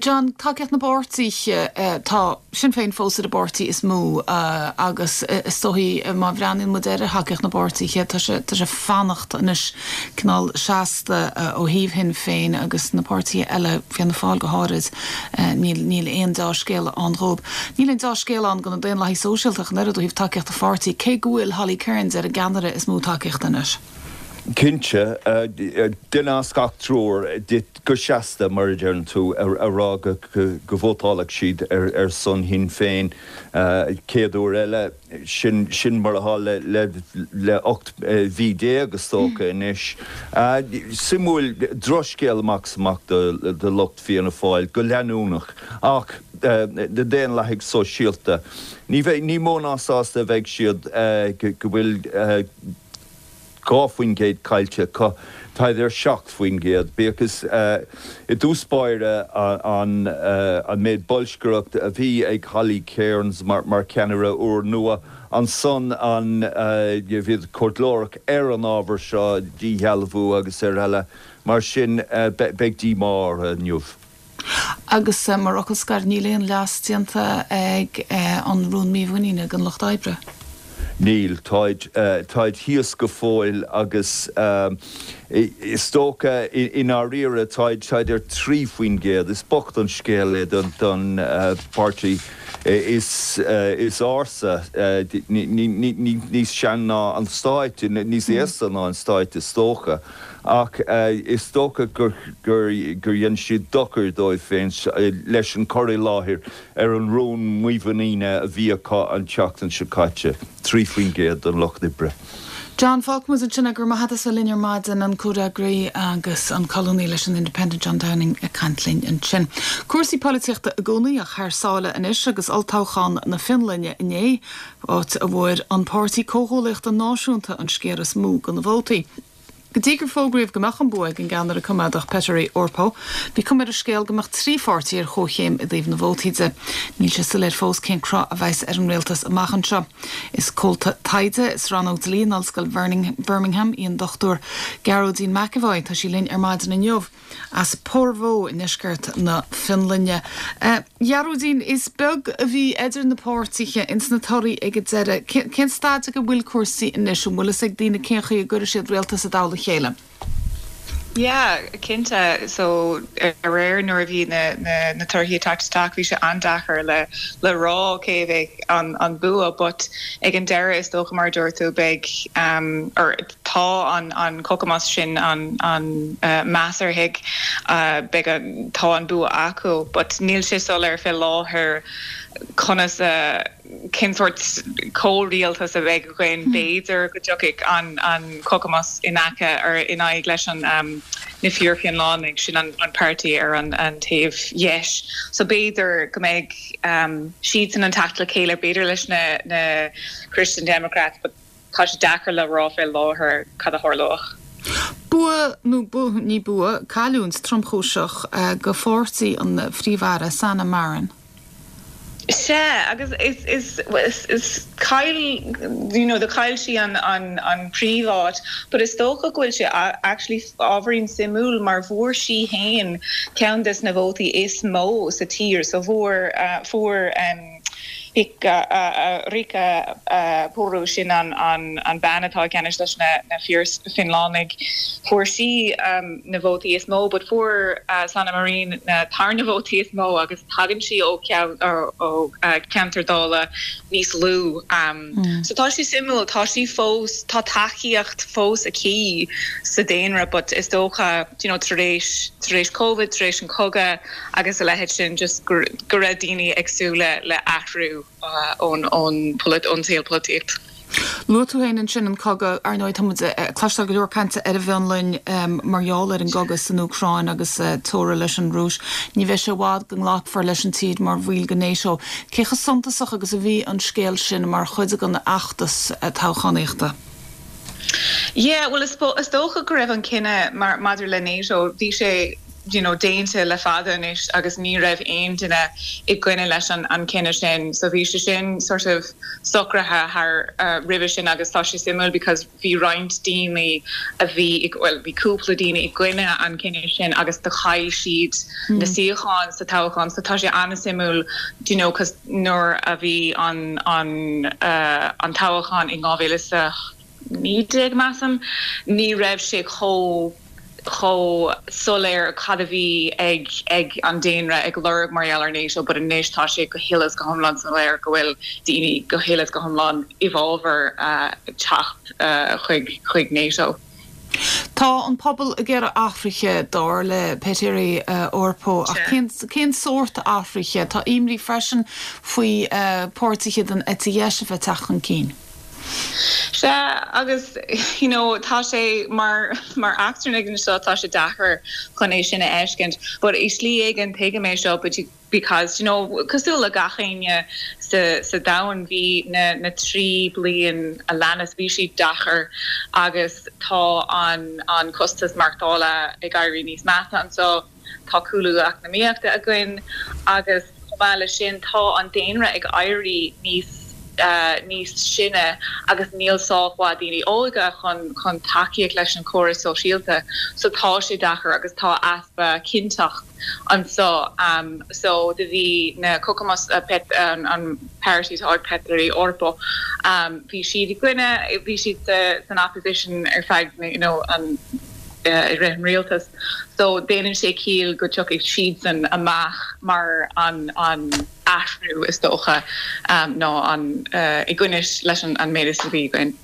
John, tacaíocht na bpáirtithe, tá Sinn Féin fós ar an bpáirtí is mó agus is dóichí má bhreathnaíonn muid ar thacaíocht na bpáirtithe, tá sé tá sé fanacht anois cineál seasta ó thaobh Shinn Féin agus na páirtithe eile, Fianna Fáil go háirid, níl níl aon dea-scéala ann dhóibh. Níl aon dea-scéal ann do na Daonlathaigh Sóisialta ach an oiread ó thaobh tacaíochta pháirtí, cé go bhfuil Holly Cairns ar an gceannaire is mó tacaíochta anois. Cinnte, duine as gach triúr go seasta, mar a deireann tú, a rá go vótálfadh siad ar son Shinn Féin céad uair eile. Sin sin mar atá le le ocht mhí déag is dócha anois. Suimiúil, drochscéal amach is amach do lucht Fianna Fáil go leanúnach ach na Daonlathaigh Sóisialta, ní bheidh, ní mó ná sásta a bheidh siad go bhfuil dhá faoin gcéad caillte acu, táid ar seacht faoin gcéad. Bíodh is i dtús báire an méid bolscaireacht a bhí ag Holly Cairns mar cheannaire úrnua, ansan an bhíod chomh glórach ar an ábhar seo, díshealbhú agus ar eile. Mar sin beidh díomá orthu inniu. Agus mar fhocal scoir, níl aon leas déanta ag an rún mímhuiníne don Lucht Oibre? Níl, táid, táid thíos go fóill agus is dócha i ndáiríre táid, táid ar trí faoin gcéad. Is bocht an scéal é don, don pháirtí is, is ársa, níos sean ná an Stát, níos aosta ná an Stát is dócha. Ach is dócha gur, gur, gur dhein siad dochar dóibh féin leis an cur i láthair ar an rún mímhuiníne a bhí acu an tseachtain seo caite, trí faoin gcéad don Lucht Oibre. John, fágfaidh muid ansin é, go raibh maith agat as bheith linn ar maidin, an comhfhreagraí agus an colúnaí leis an Independent John Downing ag caint linn ansin. Cúrsaí polaitíochta i gcónaí ach thar sáile anois agus olltoghchán na Fionlainne inné, áit a bhfuair an Páirtí Comhghuaillíochta Náisiúnta an sciar is mó de na vótaí. Go dtí gur fógraíodh go mbeadh an bua ag an gceannaire coimeádach Petteri Orpo, bhí cuma ar an scéal go mbeadh trí pháirtí ar chomhchéim i dtaobh na vótaí de. Níl sé soiléir fós cén cruth a bheas ar an rialtas amach anseo. Is comhalta taighde sa rannóg dlí in Ollscoil Birmingham í an Dochtúir Gearóidín McEvoy tá sí linn ar maidin inniu. As Porvoo i ndeisceart na Fionlainne. Gearóidín, is beag a bhí idir na páirtithe ins na torthaí ag an deireadh. Cén staid ag a bhfuil cúrsaí anois an bhfuil fhios ag daoine cén chaoi a gcuirfidh siad rialtas i dtoll a chéile? Yeah, cinnte so aréir nuair a bhí na na na torthaí ag teacht isteach bhí sé an-deacair le le rá cé a bheidh an an bua but ag an deireadh is dócha mar a dúirt tú beidh um, or tá an an Kokoomus sin an an uh, measartha uh, beidh an tá an bua acu but níl sé soiléir fé láthair conas uh, cén sórt comhrialtas a bheidh againn b'fhéidir go dtiocfaidh an an Kokoomus in aice ar in aghaidh leis an um, na Fíor-Fhionlannaigh sin an, an páirtí ar an, an taobh dheis. So b'fhéidir go mbeidh um, siad san an teacht le chéile b'fhéidir leis na, na Christian Democrats, but tá sé deacair le rá fé láthair cad a tharlóidh. Bua nó bu ní bua cailliúint tromchúiseach uh, go pháirtí an phríomh-aire Sanna Marin. Sea agus is is is is chaill you know do chaill sí an an an príomháit, but is dócha go bhfuil sé actually ábhairín suimiúil mar bhfuair sí féin ceann des na vótaí is mó sa tír so bhfuair uh, fuair um, Riikka uh, Purra sin an an an bean atá ceannas leis na na Fíor-Fhionlannaigh fuair sí um, na vótaí is mó, but fuair uh, Sanna Marin na tarna vótaí is mó agus tagann sí ó ó uh, ceantar Dála níos lú. Um, mm. So tá sí suimiúil tá sí fós tá tacaíocht fós aici sa daonra, but is dócha you know, tar éis tar éis COVID, tar éis an cogadh agus a leithéid sin just go raibh daoine ag súil le le athrú uh, ón ón ón saol polaitíocht. Luaigh tú féin ansin an cogadh ar ndóigh tá cloisteáil go leor cainte ar an bhFionlainn um, mar gheall ar an gcogadh san Úcráin agus uh, teora leis an Rúis. Ní bheidh sé i bhfad go nglacfar leis an tír mar bhall de NATO. Cé chomh suntasach agus a bhí an scéal sin mar chuid den fheachtas uh, toghchánaíochta. Yeah, well is is dócha go raibh an cinneadh mar maidir le NATO bhí sé you know déanta le fada anois agus ní raibh aon duine i gcoinne leis an an cinneadh sin so bhí sé sin sort of socraithe thar uh, roimhe sin agus tá sé suimiúil because bhí roinnt daoine a bhí well bhí cúpla daoine i gcoinne an cinneadh sin agus do chaill siad mm. na suíocháin sa toghchán so tá sé an-suimiúil do you know cos nuair a bhí an an uh, an toghchán in dhá mhíle a naoi déag measaim ní raibh sé chomh chomh soiléir cad a bhí ag ag an daonra ag lorg mar gheall ar NATO, but anois tá sé go huile is go hiomlán soiléir go bhfuil daoine go huile is go hiomlán i bhfabhar uh, teacht uh, chuig chuig NATO. Tá an pobal ag iarraidh athruithe dar le Petteri uh, Orpo ach cén, cén sórt athruithe tá imní freisin faoi uh, páirtithe den eite dheis a bheith ag teacht chun cinn. Sea agus you know tá sé mar mar eachtrannaigh anseo tá sé deacair chun é sin a fheiscint, but i slí éigin tuigim é seo but you because you know cosúil le gach éinne sa sa domhan bhí na na trí bliain a leanas bhí sí deacair agus tá an an costas maireachtála ag éirí níos measa anseo tá cúlú eacnamaíochta againn agus chomh maith leis sin tá an daonra ag éirí níos uh, níos sine agus níl sách mhaith daoine óga chun chun tacaíocht leis an córas sóisialta so tá sé deacair agus tá easpa cinnteacht anseo um, so do bhí na Kokoomus uh, pet an, an páirtí ag Petteri Orpo um, bhí siad i gcoinne bhí siad san opposition ar feadh you know, an uh, i rith an rialtas so déanann sé ciall go dtiocfaidh siadsan amach mar an an athrú is dócha um, ná an uh, i gcoinne leis an, an méid a bhí againn.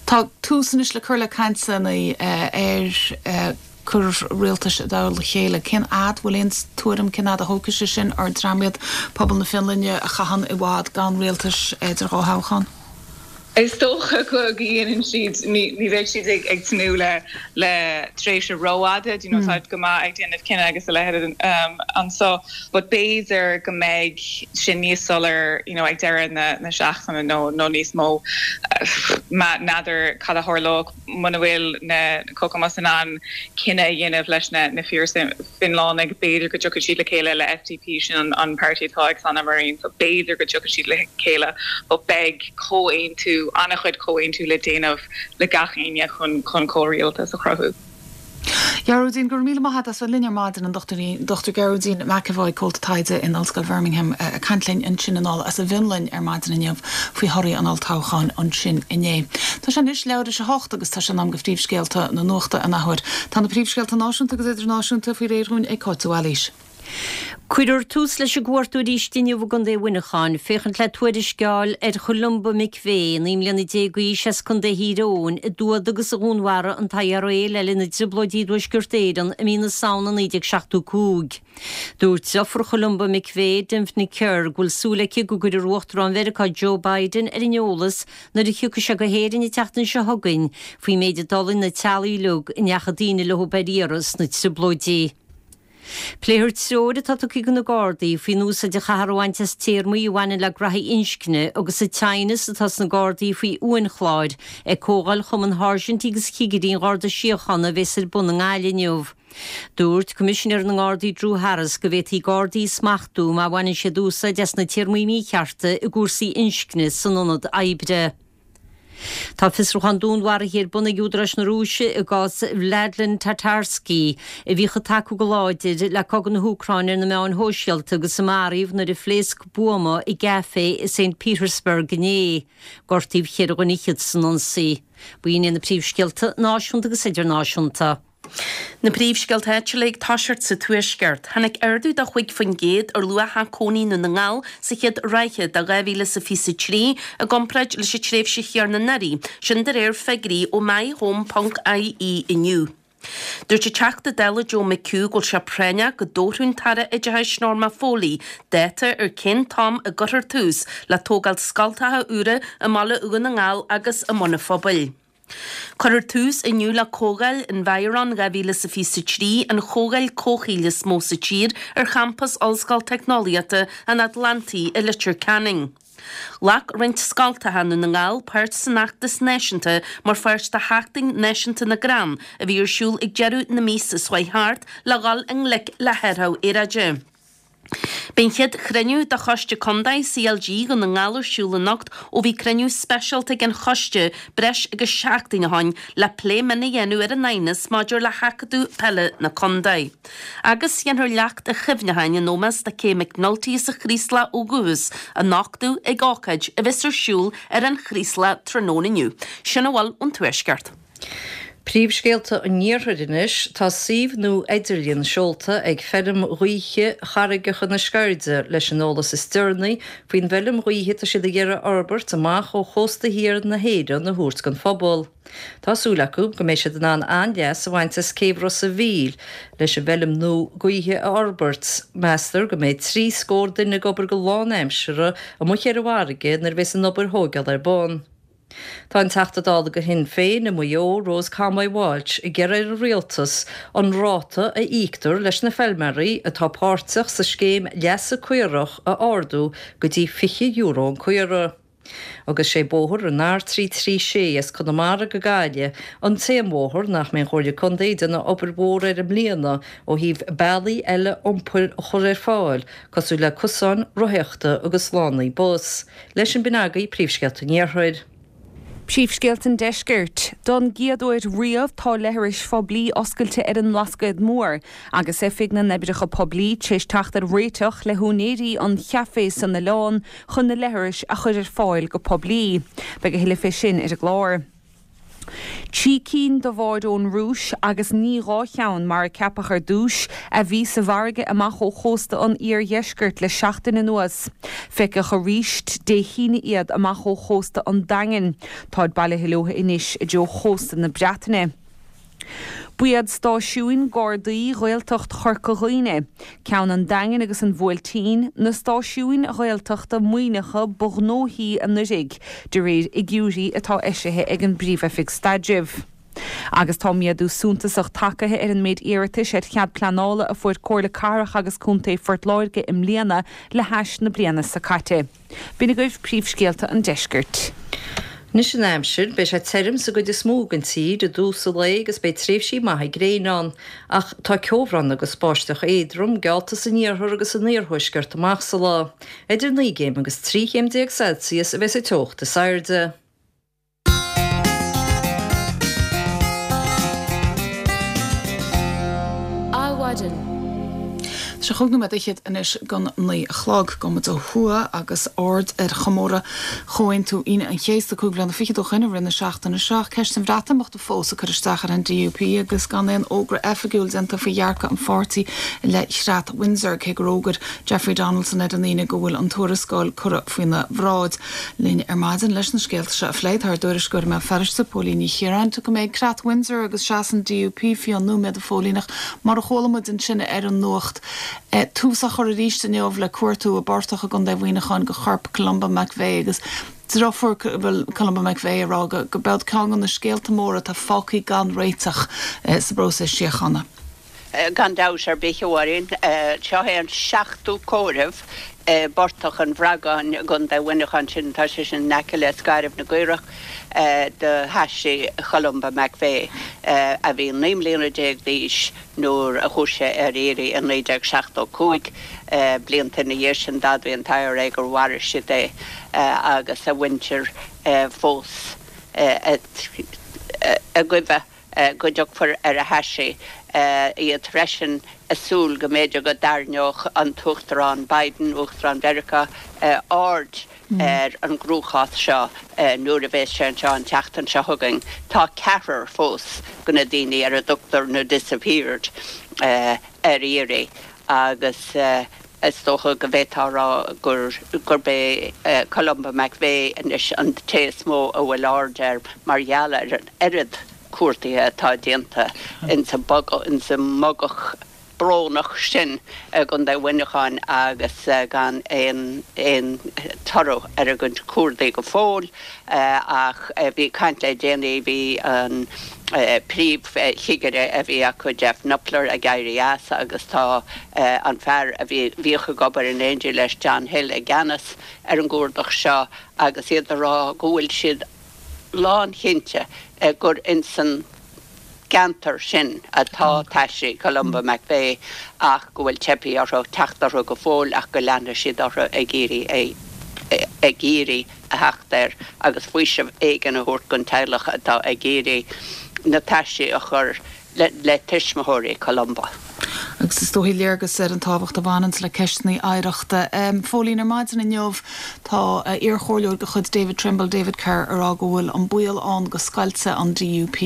Tá tús anois le cur le cainteanna uh, ar uh, cur rialtais i dtoll a chéile cén fhad bhfuil aon tuairim cén fhad a thógfaidh sé sin ar dream iad pobal na Fionlainne a chaitheann i bhfad gan rialtas idir dhá thoghchán. Is dócha go dhéanann siad ní bheidh siad ag ag tnúth le le tréimhse rófhada you know mm. go maith ag déanamh cinneadh agus a leithéid um, anseo but b'fhéidir go mbeidh sin níos soiléire you know, ag deireadh na, na seachtaine nó nó níos mó N'fheadar cad a tharlódh muna bhfuil na Kokoomus in ann cinneadh a dhéanamh leis na na Fíor-Fhionlannaigh, b'fhéidir go dtiocfaidh siad le chéile le SDP, sin an an páirtí atá ag Sanna Marin, so b'fhéidir go dtiocfaidh siad le chéile but beidh comhaontú, an-chuid comhaontú le déanamh le gach éinne chun chun comhrialtas a chruthú. Gearóidín, Go raibh míle maith agat as bheith linn ar maidin, an Dochtúir Gearóidín McEvoy, Comhalta Taighde in Ollscoil Bhirmingham, ag caint linn ansin anall as an bhFionlainn ar maidin inniu faoi thorthaí an olltoghcháin ansin inné. Tá sé anois leathuair tar éis a hocht agus tá sé in am do phríomhscéalta na nuachta an athuair. Tá na príomhscéalta náisiúnta agus idirnáisiúnta faoi réir dhúinn ag Cáit de Bhailís. Cuirfear tús leis an gcuartú arís inniu i gContae Mhuineacháin, féachaint le tuairisc a fháil ar Cholumba McVeigh, naoi mbliana déag d'aois as Contae Thír Eoghain, a d'fhuadaigh agus a dhúnmharaigh an t-IRA le linn na dTrioblóidí i dTuaisceart Éireann i mí na Samhna naoi déag seachtó cúig. Dúirt deirfiúr Cholumba McVeigh, Dymphna Kerr, go bhfuil súil aici go gcuirfear Uachtarán Mheiriceá Joe Biden ar an eolas nuair a thiocfaidh sé go hÉirinn an tseachtain seo chugainn faoin méid a d'fhulaing na teaghlaigh uilig a ndeachaigh daoine leo ar iarraidh sna Trioblóidí. Pléifear treoir atá tugtha do na Gardaí faoin úsáid a chaithfear a bhaint as téarmaí a bhaineann le graithí inscne agus an teannas atá sna Gardaí faoi uainchláir ag Comhdháil Chumann Sháirsintí agus Chigirí an Gharda Síochána a bheas ar bun i nGaillimh inniu. Dúirt Coimisinéir na nGardaí Drew Harris go bhféadfaí Gardaí a smachtú má bhaineann siad úsáid as na téarmaí míchearta i gcúrsaí inscne san ionad oibre. Tá fiosrúchán dúnmharaithe ar bun ag údaráis na Rúise i gcás Vladlen Tatarsky, a bhíodh ag tacú go láidir le cogadh na hÚcráine ar na meáin shóisialta agus a maraíodh nuair a phléasc buama i gcaifé i St Petersburg inné. Gortaíodh ceithre dhuine fhichead san ionsaí. B'in iad na príomhscéalta náisiúnta agus idirnáisiúnta. Na príomhscéalta áitiúla ag toiseacht sa Tuaisceart. Tháinig ardú de chúig faoin gcéad ar luach cónaí i nDún na nGall sa chéad ráithe de dhá mhíle is a fiche a trí i gcomparáid leis an tréimhse chéanna anuraidh, sin de réir figiúirí ó myhome ponc ie inniu. Dúirt an Teachta Dála Joe McHugh go bhfuil sé práinneach go dtabharfadh an tAire Oideachais Norma Foley dáta ar cén t-am a gcuirfear tús le tógáil scoltacha úra i mBaile Dhún na nGall agus i mBun an Phobail. Cuirfear tús inniu le Comhdháil Environ dhá mhíle is a fiche a trí, an chomhdháil comhshaoil is mó sa tír, ar champas Ollscoil Teicneolaíochta an Atlantaigh i Leitir Ceanainn. Ghlac roinnt scoltacha i nDún na nGall páirt san fheachtas náisiúnta mar pháirt de Sheachtain Náisiúnta na gCrann a bhí ar siúl ag deireadh na míosa seo chuaigh thart le dhul i ngleic le hathrú aeráide. Beidh an chéad chruinniú de Choiste Contae CLG Dhún na nGall ar siúl anocht ó bhí cruinniú speisialta ag an choiste breis agus seachtain ó shin le plé mion a dhéanamh ar an aighneas maidir le hAcadamh Peile na Contae. Agus déanfar leacht chuimhneacháin in ómós do Kay McNulty as an Chraoslach ó dhúchas a nochtadh ag ócáid a bheas ar siúl ar an Chraoslach tráthnóna inniu. Sin a bhfuil ón Tuaisceart. Príomhscéalta an Iarthair anois, Tá suíomh nua idirlín seolta ag feirm ghaoithe Charraigeacha na Sceirde leis an eolas is deireanaí faoin bhfeirm ghaoithe atá siad ag iarraidh a fhorbairt amach ó chósta thiar na hÉireann a thabhairt don phobal. Tá súil acu go mbeidh siad in ann an-leas a bhaint as céibh Ros a' Mhíl leis an bhfeirm nua gaoithe a fhorbairt. Meastar go mbeidh trí scór duine ag obair go lánaimseartha amuigh ar an bhfarraige nuair a bheas an obair thógála ar bun. Tá an Teachta Dála do Shinn Féin i Maigh Eo, Rose Conway Walsh, ag iarraidh ar an Rialtas an ráta a íoctar leis na feilméaraí atá páirteach sa scéim leasa caorach a ardú go dtí fiche euro an caora. Agus sé bóthar an R trí trí sé as Conamara go Gaillimh an t-aon bhóthar nach mbeidh an Chomhairle Contae ag déanamh obair mhór air i mbliana ó thaobh bealaí eile iompair a chur ar fáil cosúil le cosáin rothaíochta agus lánaí bus. Leis sin b'in agaibh príomhscéalta an Iarthair. Príomhscéalta an Deiscirt. Don gcéad uair riamh tá leithris phoiblí oscailte ar an mBlascaod Mór, agus Oifig na nOibreacha Poiblí tar éis teacht ar réiteach le húinéirí an chaifé san oileán chun na leithris a chur ar fáil go poiblí. Beidh a thuilleadh fé sin ar an gclár. Trí cinn de bháid ón Rúis, agus ní dhá cheann mar a ceapadh ar dtús, a bhí sa bhfarraige amach ó chósta an iardheiscirt le seachtain anuas. Feiceadh arís Dé hAoine iad amach ó chósta an Daingin. Táid bailithe leo anois i dtreo chósta na Breataine. Ba iad stáisiúin Gardaí Ghaeltacht Chorca Dhuibhne, ceann an Daingin agus an Bhuailtín, na stáisiúin Ghaeltachta maoithneacha ba ghnóthaí anuraidh, de réir fhigiúirí atá eisithe ag an bPríomh-Oifig Staidrimh. Agus tá méadú suntasach tagtha ar an méid iarratais ar chead pleanála a fuair Comhairle Cathrach agus Contae Phort Láirge i mbliana le hais na bliana seo caite. B'in agaibh príomhscéalta an deiscirt. Anois an aimsir, beidh sé tirim sa gcuid is mó den tír i dtús an lae agus beidh tréimhsí maithe gréine ann, ach tá ceobhrán agus báisteach éadrom geallta san iarthar agus san iarthuaisceart amach sa lá. Idir naoi gcéim agus trí chéim déag Celsius a bheas an teocht is airde. Adhmhaidin. Tá sé chúig nóiméad fhichead anois don naoi a chlog. Gabhfaidh muid ó thuaidh agus aird ar chomóradh Chomhaontú Aoine an Chéasta cúig bliana fichead ó shin i rith na seachtaine seo. Ceist an Bhreatimeachta fós ag cur isteach ar an DUP agus gan aon fhógra oifigiúil déanta faoi dhearcadh an pháirtí i leith Chreat Windsor, cé gur fhógair Jeffrey Donaldson ar an Aoine go bhfuil an tuarascáil curtha faoina bhráid. Linn ar maidin leis na scéalta seo a phlé tá ár dtuairisceoir i mBéal Feirste, Póilín Ní Chiaráin. Tiocfaidh mé ag Creat Windsor agus seasamh an DUP faoi nóiméad a Phóilín ach mar a chuala muid ansin ar an nuacht. Tús á chur arís inniu le cuartú i bportach i gContae Mhuineacháin do chorp Columba McVeigh agus deirfiúr Columba McVeigh ag rá go b'eod ceann de na scéalta móra atá fágtha gan réiteach sa bpróiseas síochána. Gan dabht ar bith, a Mháirín. Seo é an seachtú comhaireamh i bPortach an Bhragáin i gContae Mhuineacháin sin, tá sé sin in aice le Scairbh na gCaorach, do thaisí Cholumba McVeigh, a bhí naoi mbliana déag d'aois nuair a chuaigh sé ar iarraidh i naoi déag seachtó cúig. Blianta ina dhiaidh sin d'admhaigh an t-IRA gur mharaigh siad é agus a mhuintir fós ag goimh go dtiocfar ar a thaisí. Iad freisin ag súil go mb'fhéidir go dtarraingeodh an tUachtarán Biden, Uachtarán Mheiriceá, aird ar an gcruachás seo nuair a bheas sé anseo an tseachtain seo chugainn. Tá ceathrar fós de na daoine ar a dtugtar na 'disappeared' ar iarraidh agus is dócha go bhféadfá a rá gurb é Columba McVeigh anois an té is mó a bhfuil aird air mar gheall ar an oiread cuardaithe atá déanta insa mbogach brónach sin i gContae Mhuineacháin agus gan aon aon toradh ar a gcuid cuardaigh go fóill ach bhí caint le déanaí, bhí an príomhchigire a bhí acu, Jeff Knupler, ag éirí as agus tá an fear a bhí bhíodh ag obair in éindí leis, John Hill, i gceannas ar an gcuardach seo agus iad ag rá go bhfuil siad lánchinnte gur insan gceantar sin atá taisí Columba McVeigh ach go bhfuil teipthe orthu teacht orthu go fóill ach go leanfaidh siad orthu ag iarraidh ag iarraidh a theacht air agus faoiseamh éigin a thabhairt don teaghlach atá ag iarraidh na taisí a chur le tuismitheoirí Columba. Agus is dóichí léargas ar an tábhacht a bhaineanns le ceisteanna oidhreachta. Phóilín, ar maidin inniu tá iarchomhairleoir de chuid David Trimble, David Kerr, ag rá go bhfuil an baol ann go scoiltfidh an DUP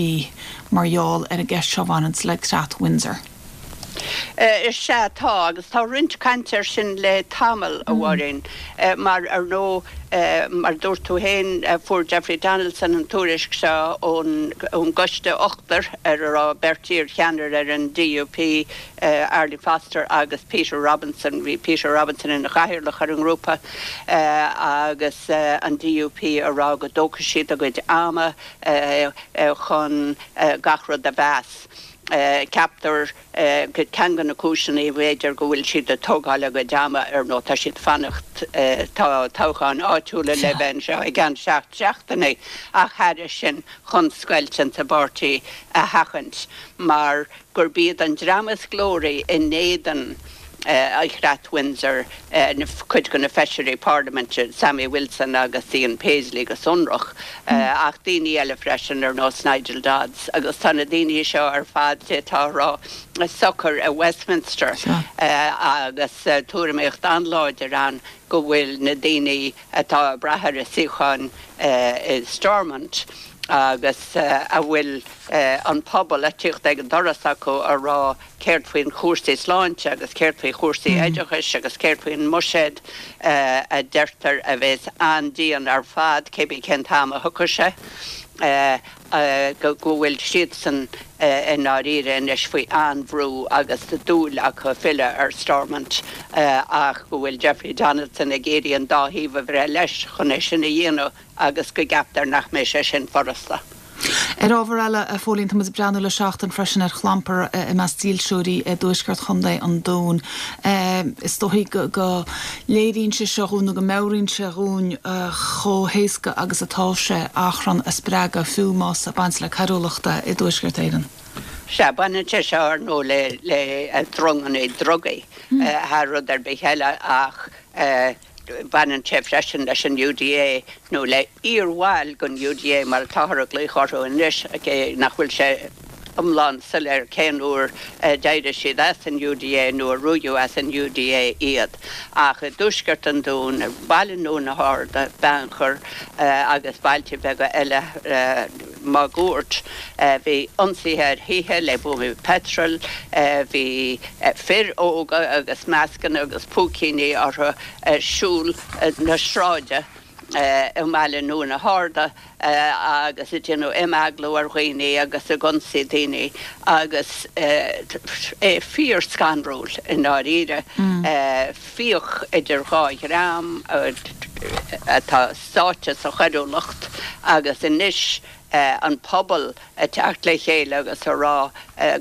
mar gheall ar an gceist seo a bhaineanns le Creat Windsor. Is ea, tá, agus tá roinnt cainte air sin le tamall, a Mháirín, mar, ar ndóigh, mar a dúirt tú féin, fuair Jeffrey Donaldson an tuairisc seo ón gcoiste ochtair ar a raibh beirt iar-cheannaire ar an DUP, Arlene Foster agus Peter Robinson. Bhí Peter Robinson ina chathaoirleach ar an ngrúpa agus an DUP ag rá go dtógfaidh siad a gcuid ama chun gach rud a mheas. Ceaptar gur ceann de na cúiseanna, b'fhéidir, go bhfuil siad ag tógáil a gcuid ama, ar ndóigh, tá siad ag fanacht, tá toghcháin áitiúla le bheith anseo i gceann seacht seachtainí, ach thairis sin, chun scoilt insa bpáirtí a sheachaint, mar gurb iad an dream is glóraí in éadan an Chreat Windsor, cuid de na feisirí parlaiminte, Sammy Wilson agus Ian Paisley go sonrach, ach daoine eile freisin ar nós Nigel Dodds, agus tá na daoine seo ar fad, d'fhéadfá a rá, socair i Westminster agus tuairimíocht an-láidir ann go bhfuil na daoine atá ag brath ar a suíocháin i Stormont agus a bhfuil an pobal ag tíocht ag an doras acu a rá céard faoin chúrsaí sláinte agus céard faoi chúrsaí oideachais agus céard faoin mbuiséad a deirtear a bheas an-dian ar fad cébí cén t-am a thiocfaidh sé, go bhfuil siadsan i ndáiríre anois faoi an-bhrú agus dúil acu filleadh ar Stormont ach go bhfuil Jeffrey Donaldson ag iarraidh an dá thaobh a bhreith leis chun é sin a dhéanamh agus go gceaptar nach mbeidh sé sin furasta. Ar ábhar eile, a Phóilín, tá muid ag breathnú le seachtain freisin ar chlampar i measc dílseoirí i dtuaisceart Chontae an Dúin. Is dóigh go léiríonn sé seo dhúinn nó go meabhraíonn sé dhúinn chomh héasca agus atá sé achrann a spreagadh, fiú más ag baint le coiriúlacht i dTuaisceart Éireann. Sea, baineann sé seo ar ndóigh le dronganna drugaí thar rud ar bith eile ach Baineann sé freisin leis an UDA, nó le iarbhaill den UDA mar atáthar ag glaoch orthu anois, cé nach bhfuil sé iomlán soiléir cén uair a d'éirigh siad as an UDA nó a ruaigeadh as an UDA iad. Ach i dtuaisceart an Dúin, i mBaile na hArda, Beannchar agus bailte beaga eile máguaird, bhí ionsaithe ar thithe le buamaí peitril, bhí fir óga agus mascanna agus púicíní orthu ag siúl na sráide i mBaile na hArda agus ag déanamh imeaglú ar dhaoine agus ag ionsaí daoine agus é fíor-scanrúil i ndáiríre. Fíoch idir dhá dhream atá sáite sa choiriúlacht agus anois an pobal ag teacht le chéile agus a rá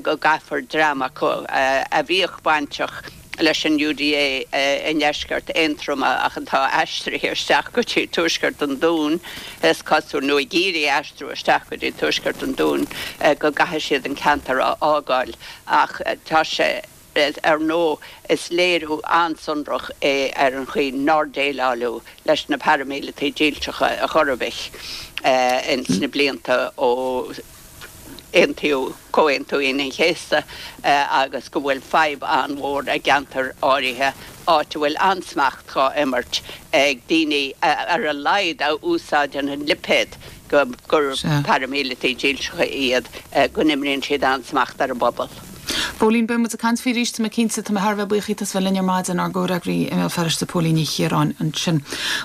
go gcaithfear dream acu a bhíodh bainteach leis an UDA i ndeisceart Aontroma ach atá aistrithe isteach go dtí tuaisceart an Dúin, is cosúil, nó ag iarraidh aistriú isteach go dtí tuaisceart an Dúin, go gcaithfidh siad an ceantar a fhágáil. Ach tá sé, ar ndóigh, is léiriú an-sonrach é ar an chaoi nár déileáladh leis na paraimíleataigh dílseacha ar chor ar bith ins na blianta ó aontaíodh Comhaontú Aoine an Chéasta agus go bhfuil fadhb an-mhór i gceantair áirithe, áit a bhfuil an-smacht dhá imirt ag daoine ar a laghad a úsáideann an lipéad gur paraimíleataigh dílseacha iad, go n-imríonn siad an-smacht ar an bpobal. Póilín, Beidh muid ag caint faoi arís, tá mé cinnte. Tá mé thar a bheith buíoch díot as bheith linn ar maidin, ár gcomhfhreagraí i mBéal Feirste, Póilín Ní Chiaráin ansin.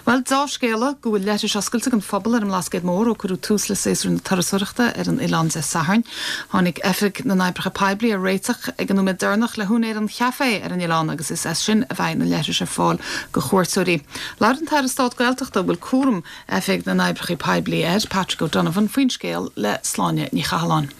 Bhuel, deá-scéala go bhfuil leithris oscailte don phobal ar an mBlascaod Mór ó cuireadh tús le séasúr na turasóireachta ar an oileán Dé Sathairn. Tháinig Oifig na nOibreacha Poiblí ar réiteach ag an nóiméad deireanach le húinéir an chaifé ar an oileán agus is as sin a bheidh na leithris ar fáil do chuairteoirí. Labhair an tAire Stáit Gaeltachta a bhfuil cúram Oifig na nOibreacha Poiblí air, Patrick O'Donovan, faoin scéal le Sláine Ní Chathalláin.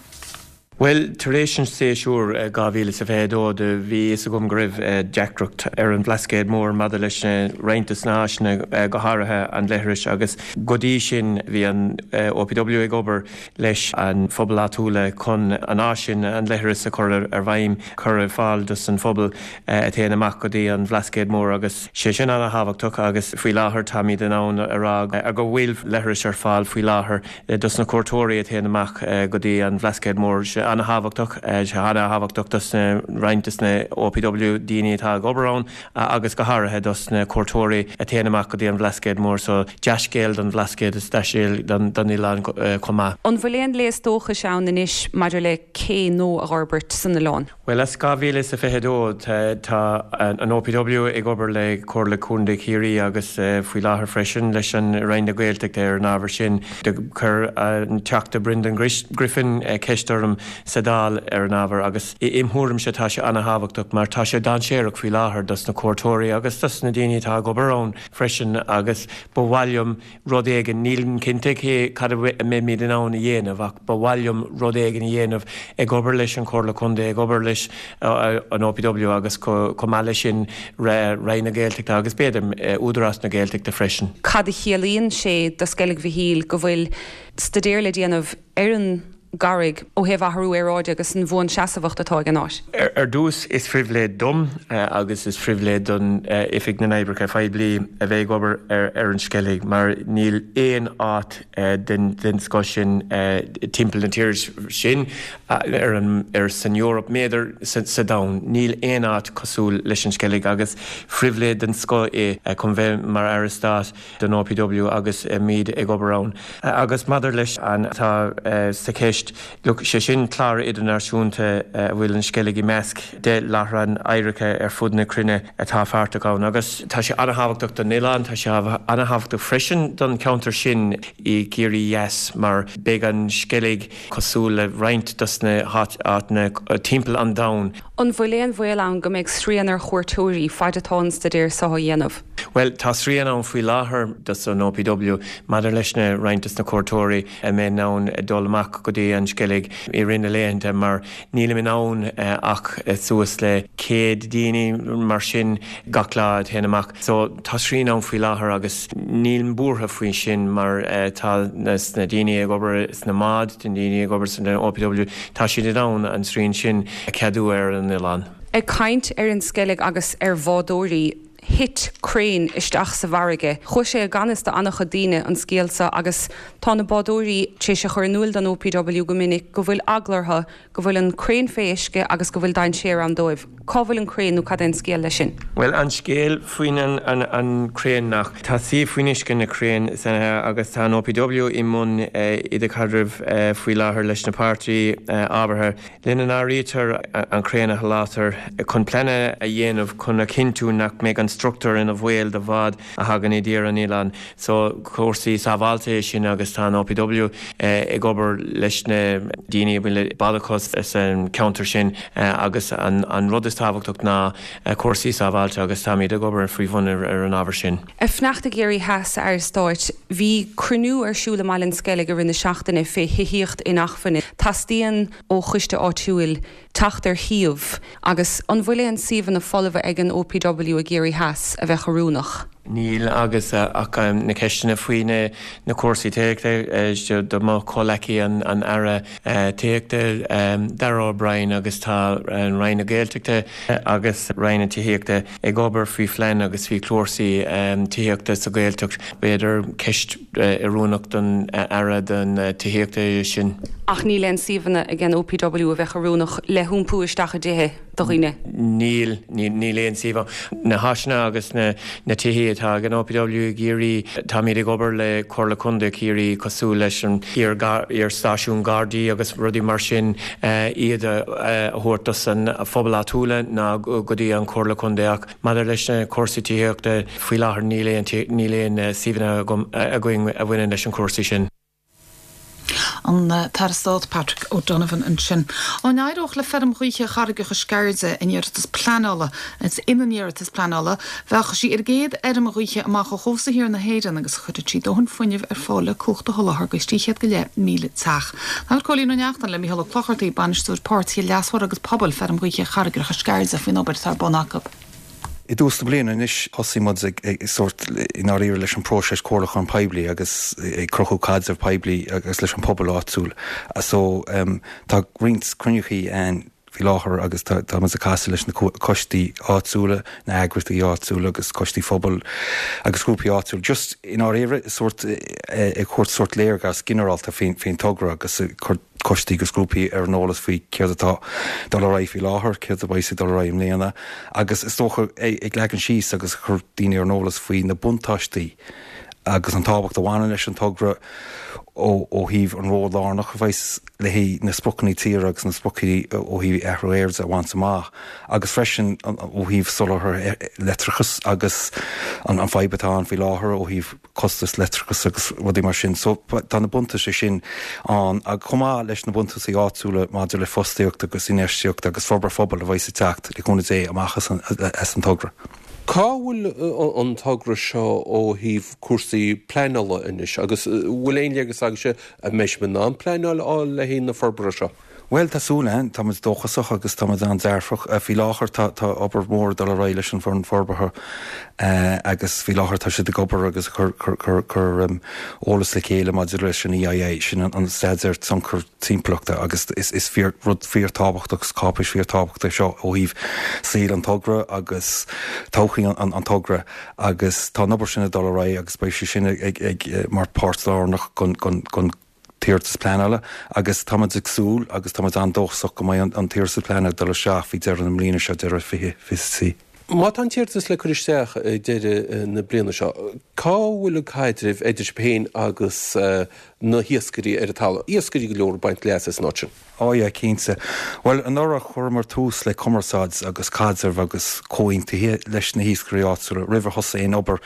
Bhuel, tar éis an séasúr dhá mhíle is a fiche a dó do bhí fhios agam go raibh deacracht ar an Bhlascaod Mór maidir leis na roinnt de na háiseanna, go háirithe an leithris agus go dtí sin bhí an OPW ag obair leis an phobal áitiúla chun an áis sin, an leithreas a chur ar bhfeidhm, cur ar fáil dos an phobal a théann amach go dtí an Bhlascaod Mór agus sé sin ana-thábhachtach agus faoi láthair táimid in ann a rá go bhfuil leithris ar fáil faoi láthair dos na cuairteoirí a théann amach go dtí an Bhlascaod Mór. Sé ana-thábhachtach, sé ana-thábhachtach dos na roinnt dos na OPW daoine atá ag obair ann agus go háirithe dos na cuairteoirí a théann amach go dtí an Bhlascaod Mór. So dea-scéal don Bhlascaod is dea-scéal don oileán chomh maith. An bhfuil aon léas dóchais ann anois maidir le cé nua a fhorbairt san oileán? Bhuel, as dhá mhíle is a fiche a dó tá an OPW ag obair le Comhairle Contae Chiarraí agus faoi láthair freisin leis an Roinn na Gaeltachta ar an ábhar sin. Do chuir an Teachta Brendan Griffin ceist orm sa Dáil ar an ábhar agus im thuairimse tá sé ana-thábhachtach mar tá sé dainséarach faoi láthair dos na cuairteoirí agus dos na daoine atá ag obair ann freisin agus ba mhaith liom rud éigin, nílim cinnte cé cad a mbeimid in ann a dhéanamh ach ba mhaith liom rud éigin a dhéanamh ag obair leis an Chomhairle Contae, ag obair leis an OPW agus chomh maith leis sin Roinn na Gaeltachta agus b'fhéidir Údarás na Gaeltachta freisin. Cad a chiallaíonn sé do Sceilg Mhichíl go bhfuil staidéar le déanamh ar an gcarraig ó thaobh athrú aeráide agus an bhuanseasmhacht atá ag an áit? Ar dtús, is phribhléid dom agus is phribhléid don Oifig na nOibreacha Poiblí a bheith ag obair ar an Sceilg mar níl aon áit den scoth sin timpeall na tíre sin, ar an, ar san Eoraip, b'fhéidir sa domhan. Níl aon áit cosúil leis an Sceilg agus phribhléid den scoth é chun bheith mar Aire Stáit don OPW agus muid ag obair ann. Agus maidir leis an atá sa cheist, look, sé sin clár idirnáisiúnta a bhfuil an Sceilg i measc deich láithreán oidhreachta ar fud na cruinne atá páirteach ann agus tá sé an-thábhachtach don oileán, tá sé an-thábhachtach freisin don cheantar sin i gCiarraí Theas mar beidh an Sceilg cosúil le roinnt dos na háiteanna timpeall an domhain. An bhfuil aon bhaol ann go mbeidh srian ar chuairteoirí faid atá an staidéar seo á dhéanamh? Bhuel, tá srian ann faoi láthair dos an OPW maidir leis na roinnt dos na cuairteoirí a mbeidh in ann dul amach go dtí an Sceilg i rith na laethanta mar nílim in ann ach suas le céad daoine mar sin gach lá a théann amach. So tá srian ann faoi láthair agus nílim buartha faoi sin mar tá na daoine ag obair sna mbáid, na daoine ag obair san OPW, tá siad in ann an srian sin a cheadú ar an oileán. Ag caint ar an Sceilg agus ar bhádóirí, thit craein isteach sa bhfarraige. Chuaigh sé i gan fhios do an-chuid daoine an scéal seo agus tá na bádóirí tar éis a chur in iúl don OPW go minic go bhfuil eagla orthu go bhfuil an craein fé uisce agus go bhfuil dainséar ann dóibh. Cá bhfuil an craein nó cad é an scéal leis sin? Bhuel an scéal faoin an an an craein nach tá suíomh faoin uisce na craein agus tá an OPW i mbun idirchaidrimh faoi láthair leis na páirtí ábhartha lena n-áirítear an craein a sholáthar chun pleananna a dhéanamh chun a chinntiú nach mbeidh an struchtúr ina bhaol do bháid a thagann i dtír an oileáin. So cúrsaí sábháilte é sin agus tá an OPW ag obair leis na daoine a bhfuil bád acu sa cheantar sin agus an an rud is tábhachtach ná cúrsaí sábháilte agus táimid ag obair faoi bhun ar an ábhar sin. Ag fanacht i gCiarraí Theas, a Aire Stáit, bhí cruinniú ar siúl i mBaile an Sceilg i rith na seachtaine fé thithíocht inacmhainne. Teastaíonn ó choiste áitiúil teacht ar shuíomh agus an bhfuil aon suíomhanna folmha ag an OPW i gCiarraí Theas a bheadh oiriúnach? Níl agus ach na ceisteanna faoi na cúrsaí tithíochta do mo chomhghleacaí an an Aire Tithíochta Darragh O'Brien agus tá an Roinn na Gaeltachta agus Roinn na Tithíochta ag obair faoi phlean agus faoi chúrsaí tithíochta sa Ghaeltacht. B'fhéidir ceist oiriúnach don Aire don Tithíochta é sin. Ach níl aon suíomhanna ag an OPW a bheadh oiriúnach le hiompú isteach i dtithe do dhaoine? Níl, níl aon suíomh. Na háiseanna agus na na tithe atá ag an OPW i gCiarraí, táimid ag obair le Comhairle Contae Chiarraí cosúil leis an iar-stáisiún Gardaí agus rudaí mar sin iad a thabhairt dos an phobal áitiúla ná go dtí an Chomhairle Contae ach maidir leis na cúrsaí tithíochta faoi láthair níl aon níl aon suíomhanna againn a bhaineann leis an cúrsaí sin. An tAire Stáit Patrick O'Donovan ansin. Dá n-éireodh le feirm ghaoithe Charraigeacha Sceirde in iarratas pleanála ina n-iarratas pleanála, bheadh sí ar an gcéad fheirm ghaoithe amach ó chósta thiar na hÉireann agus chuirfeadh sí dóthain fuinnimh ar fáil le cumhacht a sholáthar do trí chéad go leith míle teach. Labhair Cóilín Ó Neachtain le Mícheál Ó Clochartaigh, bainisteoir páirtithe leasmhara agus pobail feirm ghaoithe Charraigeacha Sceirde faoin obair atá ar bun acu. I dtús na bliana anois thosaigh muid ag ag sórt i ndáiríre leis an próiseas comhairliúchán poiblí agus ag cruthú caidreamh poiblí agus leis an pobal áitiúil. So um, tá roinnt cruinnithe ann faoi láthair agus tá tá muid ag casadh leis na coistí áitiúla, na heagraíochtaí áitiúla agus coistí phobail agus grúpaí áitiúil. Just i ndáiríre sórt ag thabhairt sórt léargas ginearálta faoin faoin togra agus cur coistí agus grúpaí ar an eolas faoi céard atá dul ar aghaidh faoi láthair, céard a bheidh ag dul ar aghaidh i mbliana, agus is dócha ag leagan síos agus cur daoine ar an eolas faoi na buntáistí agus an tábhacht a bhaineann leis an togra ó ó thaobh an ról lárnach a bheas le haghaidh na spriocanna tíre agus na spriocanna ó thaobh athrú aeráide a bhaint amach agus freisin ó thaobh soláthar leictreachas agus an an fadhb atá ann faoi láthair ó thaobh costas leictreachas agus rudaí mar sin. So tá na buntáistí sin ann ag chomh maith leis na buntáistí áitiúla maidir le fostaíocht agus infheistíocht agus forbairt phobail a bheas ag teacht le cúnamh Dé amach as an, as an togra. Cá bhfuil an togra seo ó thaobh cúrsaí pleanála anois agus bhfuil aon léargas agaibhse an mbeidh sibh in ann pleanáil a fháil le haghaidh na forbartha seo? Bhuel tá súil againn, tá muid dóchasach agus tá muid an-dearfach. Faoi láthair tá tá obair mhór ag dul ar aghaidh leis an bhfoireann forbartha agus faoi láthair tá siad ag obair agus ag cur cur cur cur eolas le chéile maidir leis an EIA, sin an staidéar tionchar timpeallachta agus is is fíor rud fíorthábhachtach agus cáipéis fíorthábhachtach seo ó thaobh saol an togra agus todhchaí an an togra agus tá an obair sin ag dul ar aghaidh agus beidh sé sin ag ag mar páirt lárnach gon gon gon t-iarratas pleanála agus táimid ag súil agus táimid an-dóchasach go mbeidh an t-iarratas pleanála ag dul isteach faoi deireadh na bliana seo, deireadh fiche fiche trí. Má tá an t-iarratas le cur isteach ag deireadh na bliana seo, cá bhfuil an caidreamh idir sibh féin agus na hiascairí ar an talamh? Iascairí go leor ag baint leas as an áit sin. Ó yeah, cinnte. Bhuel, anuraidh chuireamar tús le cumarsáid agus caidreamh agus comhaontuithe leis na hiascairí áitiúla roimh ar thosaigh aon obair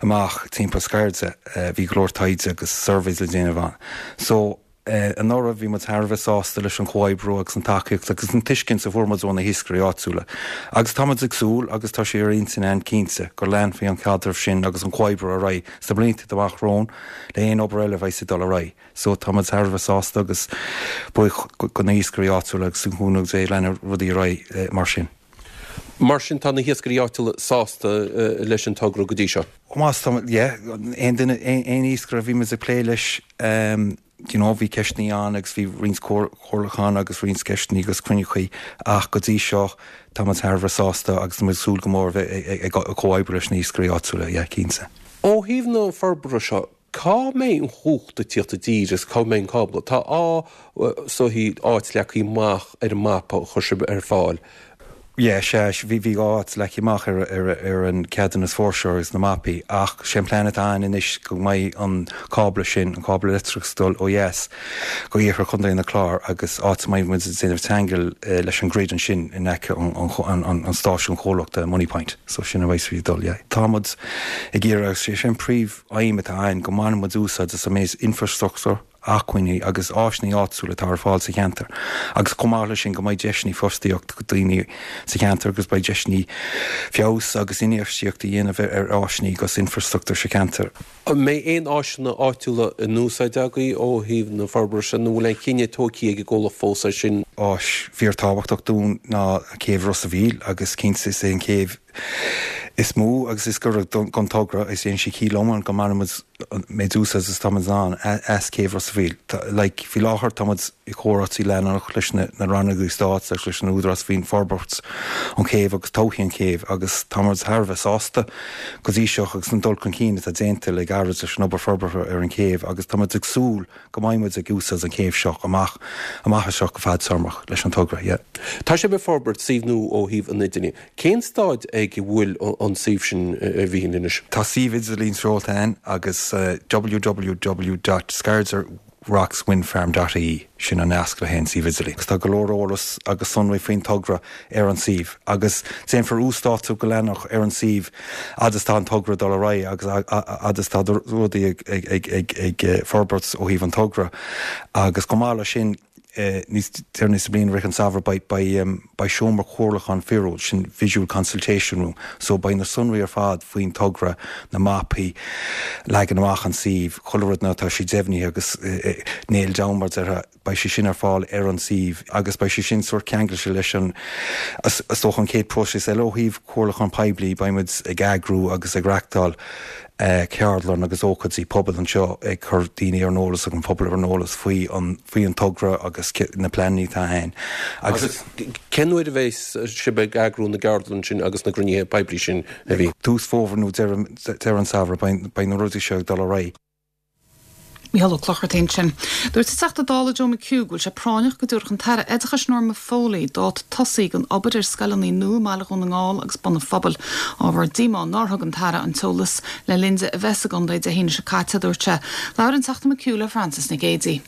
amach timpeall Sceirde. Bhí go leor taighde agus surveys le déanamh ann. So, Anuraidh bhí muid thar a bheith sásta leis an chomhoibriú agus an tacaíocht agus an tuiscint a fuair muid ó na hiascairí áitiúla. Agus tá muid ag súil, agus tá sé ar intinn againn cinnte, go leanfaidh an caidreamh sin agus an comhoibriú ar aghaidh sna blianta amach romhainn le haon obair eile a bheidh ag dul ar aghaidh. So tá muid thar a bheith sásta agus buíoch go na hiascairí áitiúla agus le cúnamh Dé leanfaidh rudaí ar aghaidh mar sin. Mar sin tá na hiascairí áitiúla sásta leis an togra go dtí seo? Más tá, yeah, aon duine, aon iascaire a bhí muid ag plé leis, you know, bhí ceisteanna ann agus bhí roinnt comhairliúchán agus roinnt ceisteanna agus cruinniúchaí ach go dtí seo tá muid thar a bheith sásta agus tá muid ag súil go mór bheith ag comhoibriú leis na hiascairí áitiúla, yeah, cinnte. Ó thaobh na forbartha seo, Cá mbeidh an chumhacht ag tíocht i dtír agus cá mbeidh an cábla? Tá is dóichí áit leagtha amach ar an mapa a chuir sibh ar fáil. Yeah, sea, bhí bhí dhá áit leagtha amach ar ar ar an ceadúnas fuirseoir agus na mapaí ach sé an plean atá ann anois go mbeidh an cábla sin, an cábla leictreachais ag dul ó dheas go iarthar Chontae na Clár agus áit a mbeidh muid ag déanamh ceangal leis an grid ansin in aice an an an an stáisiún comhlachta Moneypoint. So sin a bheidh ag dul, yeah. Tá muid ag iarraidh agus sé sin príomh aidhm atá ann go mbaineann muid úsáid as an méid infrastruchtúr, acmhainní agus áiseanna áitiúla atá ar fáil sa cheantar agus chomh maith leis sin go mbeidh deiseanna fostaíocht do daoine sa cheantar agus beidh deiseanna feabhas agus infheistíocht a dhéanamh ar áiseanna agus infrastruchtúr sa cheantar. An mbeidh aon áiseanna áitiúla in úsáid agaibh ó thaobh na forbartha sin nó an bhfuil aon chinneadh tógtha ag an gcomhlacht fós air sin? Áis fíorthábhachtach dúinn ná céibh Ros a' Mhíl agus cinnte is é an chéibh is mó agus is gaire don togra is déanann sé ciall iomlán go mbainfidh muid an méid úsáid is atá muid in ann as céibh Ros a' Mhíl. Like, faoi láthair tá muid i comhráití leanúnach leis na na rannógaí stáit agus leis an Údarás faoin forbairt an chéibh agus todhchaí an chéibh agus tá muid thar a bheith sásta go dtí seo agus an dul chun cinn atá déanta le gairid leis an obair forbartha ar an chéibh agus tá muid ag súil go mbeidh muid ag úsáid an chéibh seo amach amach anseo go fadtéarmach leis an togra, yeah. Tá sibh ag forbairt suíomh nua ó thaobh an idirlín. Cén staid ag a bhfuil an suíomh sin a Mhíchíl anois? Tá suíomh idirlín seolta againn agus www dot scairderockswindfarm dot ie sin an nasc le haghaidh an suíomh idirlín. Agus tá go leor eolas agus sonraí faoin togra ar an suíomh agus déanfar uasdátú go leanúnach ar an suíomh fhad is tá an togra ag dul ar aghaidh agus fhad is tá rudaí ag forbairt ó thaobh an togra agus chomh maith leis sin níos deireanaí sa bhliain, i rith an samhradh, beidh seomra comhairliúcháin fíorúil, sin visual consultation room, so beidh na sonraí ar fad faoin togra, na mapaí, leagan amach an suímh, chuile rud nuair atá sé deimhnithe agus nailed down mar a déarfá, beidh sé sin ar fáil ar an suíomh agus beidh sé sin sórt ceangailte leis an, is dócha an chéad próiseas eile ó thaobh comhairliúchán poiblí, beidh muid ag eagrú agus ag reachtáil ceardlann agus ócáidí pobail anseo ag cur daoine ar an eolas agus an pobal ar an eolas faoi an faoi an togra agus na pleananna atá ann agus. Agus cén uair a bheas sibh ag eagrú na gceardlann sin agus na gcruinnithe poiblí sin a Mhíchíl? Tús fómhair nó deireadh an samhradh beidh na rudaí seo ag dul ar aghaidh. Mícheál Ó Clochartaigh ansin. Dúirt an Teachta Dála Joe McHugh go bhfuil sé práinneach go dtabharfadh an tAire Oideachais Norma Foley dáta tosaigh don obair ar scoileanna nua i mBaile Dhún na nGall agus Bun an Phobail. Ábhar díomá nár thug an tAire an t-eolas le linn di a bheith sa gcontae Dé hAoine seo caite, a dúirt sé. Labhair an Teachta McHugh le Frances Nic Géadaigh.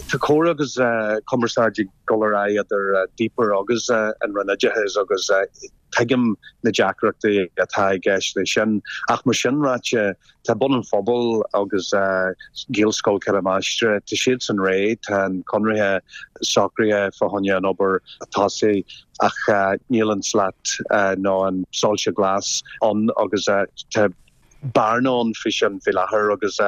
Tá comhrá agus cumarsáid ag dul ar aghaidh idir DPER agus an Roinn Oideachais agus tuigim na deacrachtaí atá i gceist leis sin. Ach mar sin ráite, tá Bun an Phobail agus Gaelscoil Cheithre Máistrí, tá siadsan réidh, tá an conradh socraithe fá choinne an obair a tosú ach níl an slat nó an soilse glas ann agus tá bearna ann faoi sin faoi láthair agus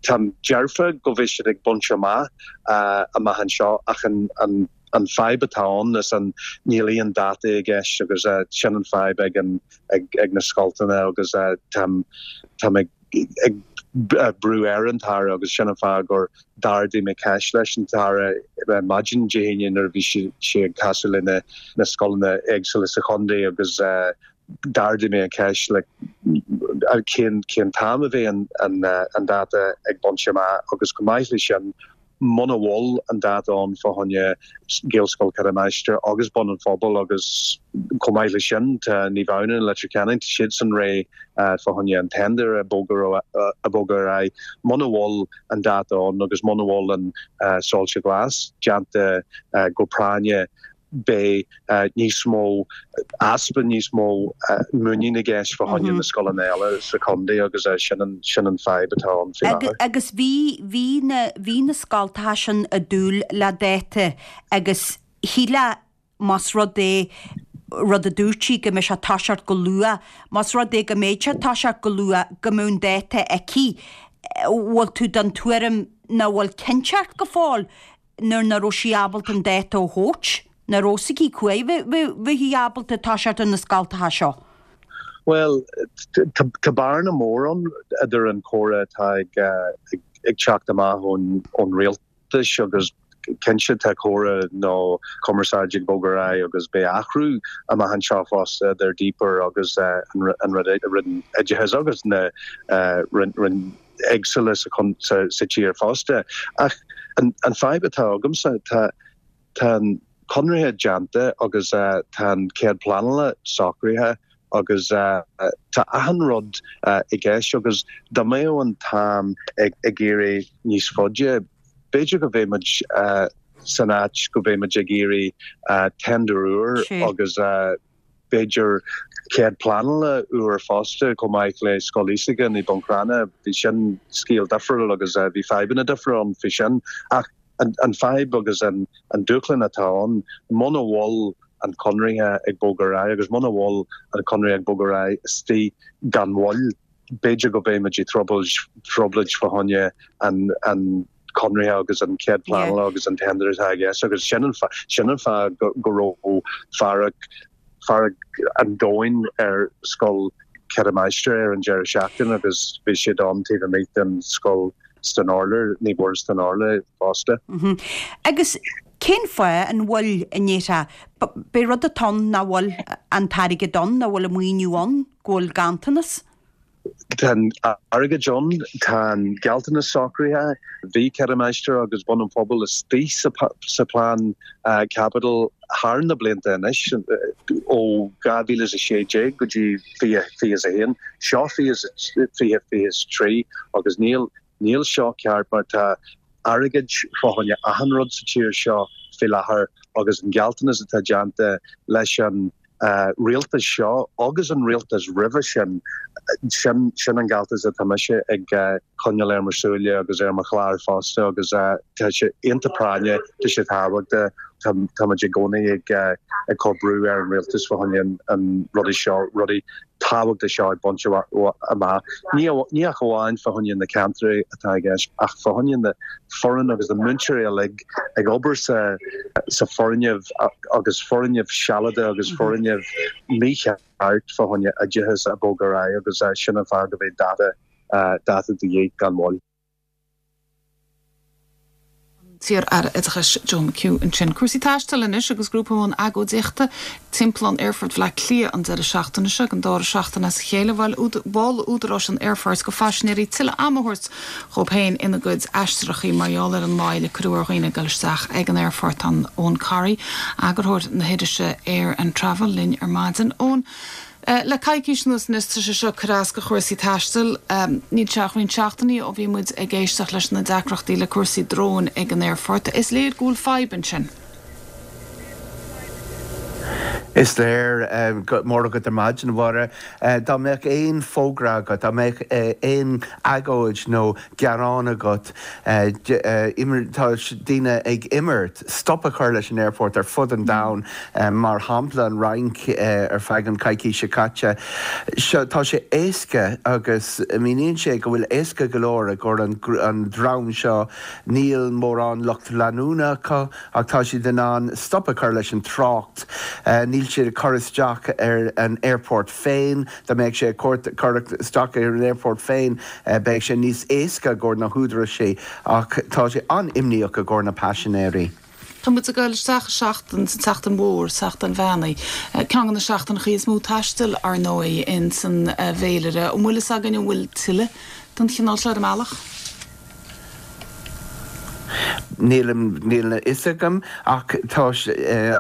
táim dearfa go bhfuil siad ag baint amach amach anseo ach an An fadhb atá ann is an níl aon dáta i gceist agus sin an fadhb ag an ag na scoilteanna agus táim táim ag ag brú ar an tAire agus sin an fáth gur d'ardaigh mé ceist leis an tAire maidin Dé hAoine nuair a bhí sé sé ag casadh le na na scoileanna éagsúla sa chontae agus d'ardaigh mé an ceist like cén cén t-am a bheidh an an an dáta ag baint amach agus chomh maith leis sin Muna bhfuil an dáta ann fá choinne Gaelscoil Cheithre Máistrí agus Bun an Phobail agus chomh maith leis sin tá Naomh Adhamhnáin i Leitir Ceanainn, tá siadsan réidh fá choinne an tender a bhogadh a bhogadh ar aghaidh. Muna bhfuil an dáta ann agus muna bhfuil an soilse glas déanta go práinne, beidh níos mó, easpa níos mó muinín i gceist fá choinne na scoileanna eile sa chontae agus sin an, sin an fadhb atá ann faoi láthair. Agus bhí, bhí na, bhí na scoltacha sin ag dúil le dáta agus shílfeá más rud é, rud a dúirt sí go mbeidh sé ag toiseacht go luath, más rud é go mbeidh sé ag toiseacht go luath go mbeadh an dáta aici, bhfuil tú den tuairim nach bhfuil cinnteacht go fóill nuair nach raibh sí ábalta an dáta a thabhairt, nach raibh fhios aici cá huair a bheifí ábalta toiseacht ar na scoltacha seo? Bhuel, tá bearna mór ann idir an comhrá atá ag teacht amach ón rialtas agus cinnte tá comhrá nó cumarsáid ag bogadh ar aghaidh agus beidh athrú amach anseo fosta idir DPER agus an Roinn Oideachais agus na Roinn éagsúla sa tír fosta. Ach an fadhb atá agamsa, tá tá an conradh déanta agus tá an cead pleanála socraithe agus tá achan rud i gceist agus dá mbeadh an t-am ag éirí níos faide, b'fhéidir go mbeidh muid san áit go mbeidh muid ag iarraidh tender úr agus b'fhéidir cead pleanála úr fosta chomh maith le Scoil Íosagáin i Buncrana. Bhí sin scéal difriúil agus bhí fadhbanna difriúil ann faoi sin. Ach an fadhb agus an dúshlán atá ann, muna bhfuil an conradh ag bogadh ar aghaidh agus muna bhfuil an conradh ag bogadh ar aghaidh istigh gan mhoill, b'fhéidir go mbeidh muid i dtrioblóid fá choinne an conradh agus an cead pleanála agus an tender atá i gceist agus sin an sin an fáth go raibh fearg fearg an domhain ar scoil Ceithre Máistrí ar an deireadh seachtaine agus bhí siad ann taobh amuigh den scoil san Urlár, Naomh Muire san Urlár fosta. Agus cén fáth an bhfuil an ndéarfá, b'é rud atá ann nach bhfuil an t-airgead ann, nach bhfuil an maoiniú ann, go bhfuil ganntanas? Tá an airgead ann, tá an gealltanas socraithe, bhí Ceithre Máistrí agus Bun an Phobail istigh sa plean caipitil thar na blianta anois, ó dhá mhíle is a sé déag go dtí fiche fiche is a haon, seo fiche fiche is trí agus níl níl seo ceart mar tá airgead fá choinne achan rud sa tír seo faoi láthair agus an gealltanas atá déanta leis an rialtas seo agus an rialtas roimhe sin, sin sin an gealltanas atá mise ag coinneáil ar mo shúile agus ar mo chlár fosta agus tá sé iontach práinneach, tá sé tábhachtach, tá tá muid i gcónaí ag ag cur brú ar an rialtas fá choinne an rudaí seo, rudaí tábhachtach seo a bhaint amach. Ní ní ach amháin fá choinne na ceantraí atá i gceist ach fá choinne na foireann agus na múinteoirí uilig ag obair sa sa foirgneamh agus foirgneamh sealadach agus foirgneamh mícheart fá choinne oideachas a bhogadh ar aghaidh agus sin an fáth go mbeidh dáta dáta de dhíth gan mhoill. An t-iar-Aire Oideachais Joe McHugh ansin. Cúrsaí taistil anois agus grúpa i mbun agóidíochta timpeall an aerfoirt Bhaile Átha Cliath an deireadh seachtaine seo don dara seachtain as a chéile. Mhol údaráis an aerfoirt go phaisinéirí tuilleadh ama a thabhairt dhóibh féin ina gcuid aistreachaí mar gheall ar an moill a cuireadh ar dhaoine ag dul isteach ag an aerfort. Tá Eoin Corry, eagarthóir na hirise Air and Travel linn ar maidin. Eoin, Le coicís anuas anois tá sé seo ag cur as go chúrsaí taistil. Níl sé ach roinnt seachtainí ó bhí muid ag éisteacht leis na deacrachtaí le cúrsaí dróin ag an aerfort. Is léir go bhfuil fadhb ansin. Is léir mór agat ar maidin, a Mháire. Dá mbeadh aon fógra agat, dá mbeadh aon agóid nó gearán agat, tá daoine ag imirt stop a chur leis an aerfort ar fud an domhain, mar shampla an Fhrainc ar feadh an coicís seo caite. Seo tá sé éasca agus míníonn sé go bhfuil éasca go leor i gcomhair an dream seo, níl mórán lucht leanúna acu ach tá siad in ann stop a chur leis an trácht. Níl siad ag cur isteach ar an aerfort féin. Dá mbeadh sé ag cur isteach ar an aerfort féin beidh sé níos éasca i gcomhair na húdaráis ach tá sé an-imníoch i gcomhair na paisinéirí. Tá muid ag dul isteach i seachtain, sa tseachtain mhór, Seachtain Mheán Oíche. Ceann de na seachtaineacha is mó taistil, ar ndóigh, in san bhféilire. An bhfuil fhios againn an bhfuil tuilleadh den chineál seo ar an mbealach? Níl níl a fhios agam ach tá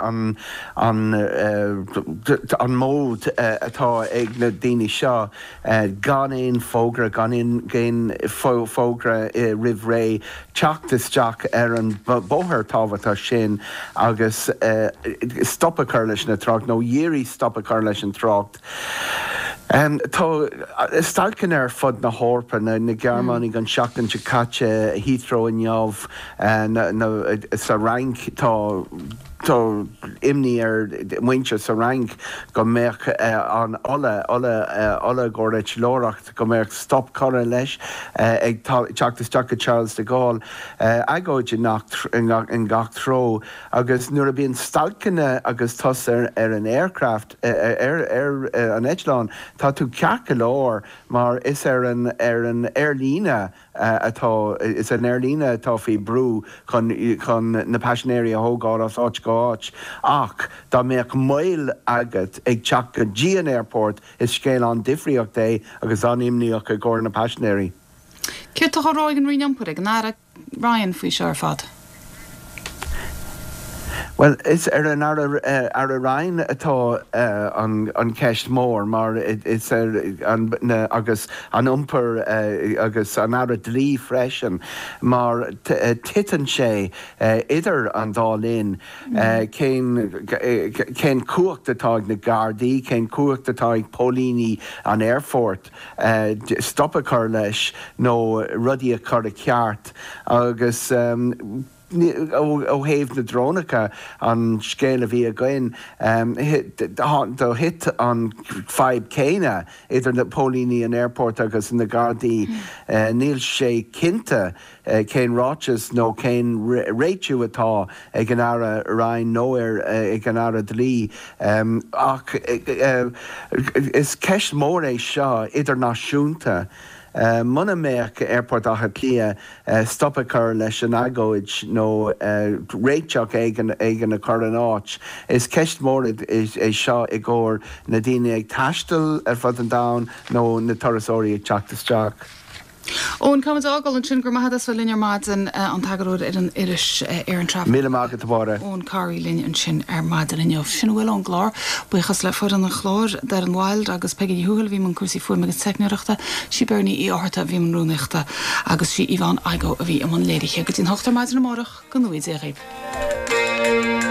an an an mód atá ag na daoine seo gan aon fógra, gan aon fógra roimh ré teacht isteach ar an bóthar tábhachtach sin agus stop a chur leis na trácht nó iarraidh stop a chur leis an trácht. Tá stailceanna ar fud na hEorpa, na Gearmánaigh an tseachtain seo caite, Heathrow inniu, sa Fhrainc tá tá imní ar mhuintir sa Fhrainc go mbeadh an ola, ola, ola i gcomhair eitleoireacht, go mbeadh stop curtha leis ag teacht isteach go Charles de Gaulle. Agóid i ngach treo agus nuair a bíonn stailceanna agus tusa ar an aircraft, ar an eitleán, tá tú ceart go leor mar is ar an ar an aerlíne atá, is an aerlíne atá faoi brú chun chun na paisinéirí a thógáil as áit go háit ach dá mbeadh moill agat ag teacht go dtí an airport is scéal an-difríocht é agus an-imníoch i gcomhair na paisinéirí. Céard atá á rá ag an Roinn Iompair, ag an Aire Ryan faoi seo ar fad? Bhuel, is ar an Aire Ryan atá an cheist mhór mar is ar an agus an iompar agus an Aire Dlí freisin mar titeann sé idir an dá linn cén cén cumhacht atá ag na Gardaí, cén cumhacht atá ag póilíní an aerfoirt stop a chur leis nó rudaí a chur i ceart agus Ó thaobh na drónacha, an scéal a bhí againn, do thit an fadhb céanna idir na póilíní an airport agus na Gardaí. Níl sé cinnte cén ráiteas nó cén réitiú atá ag an Aire Ryan nó ag an Aire Dlí ach is ceist mhór é seo idirnáisiúnta. Muna mbeadh Aerfort Átha Cliath stop a chur leis an agóid nó réiteach éigin a chur in áit, is ceist mhór é seo i gcomhair na daoine ag taisteal ar fud an domhain nó na turasóirí ag teacht isteach. Eoin, caithfimid a fhágáil ansin. Go raibh maith agat as bheith linn ar maidin, an t-eagarthóir ar an iris Éireann Travel. Míle maith agat, a Mháire. Eoin Corry linn ansin ar maidin inniu. Sin a bhfuil ón gclár. Buíochas le foireann an chláir, Darren Wilde agus Peggy Ní Thuathail a bhí i mbun cúrsaí fuaime agus teicneoireachta, sí Bernie Uí Fhátharta a bhí i mbun rúnaíochta agus sí Yvonne Igoe a bhí i mbun léirithe. Go dtí an hocht ar maidin amárach, go ngnóthaí Dia dhaoibh.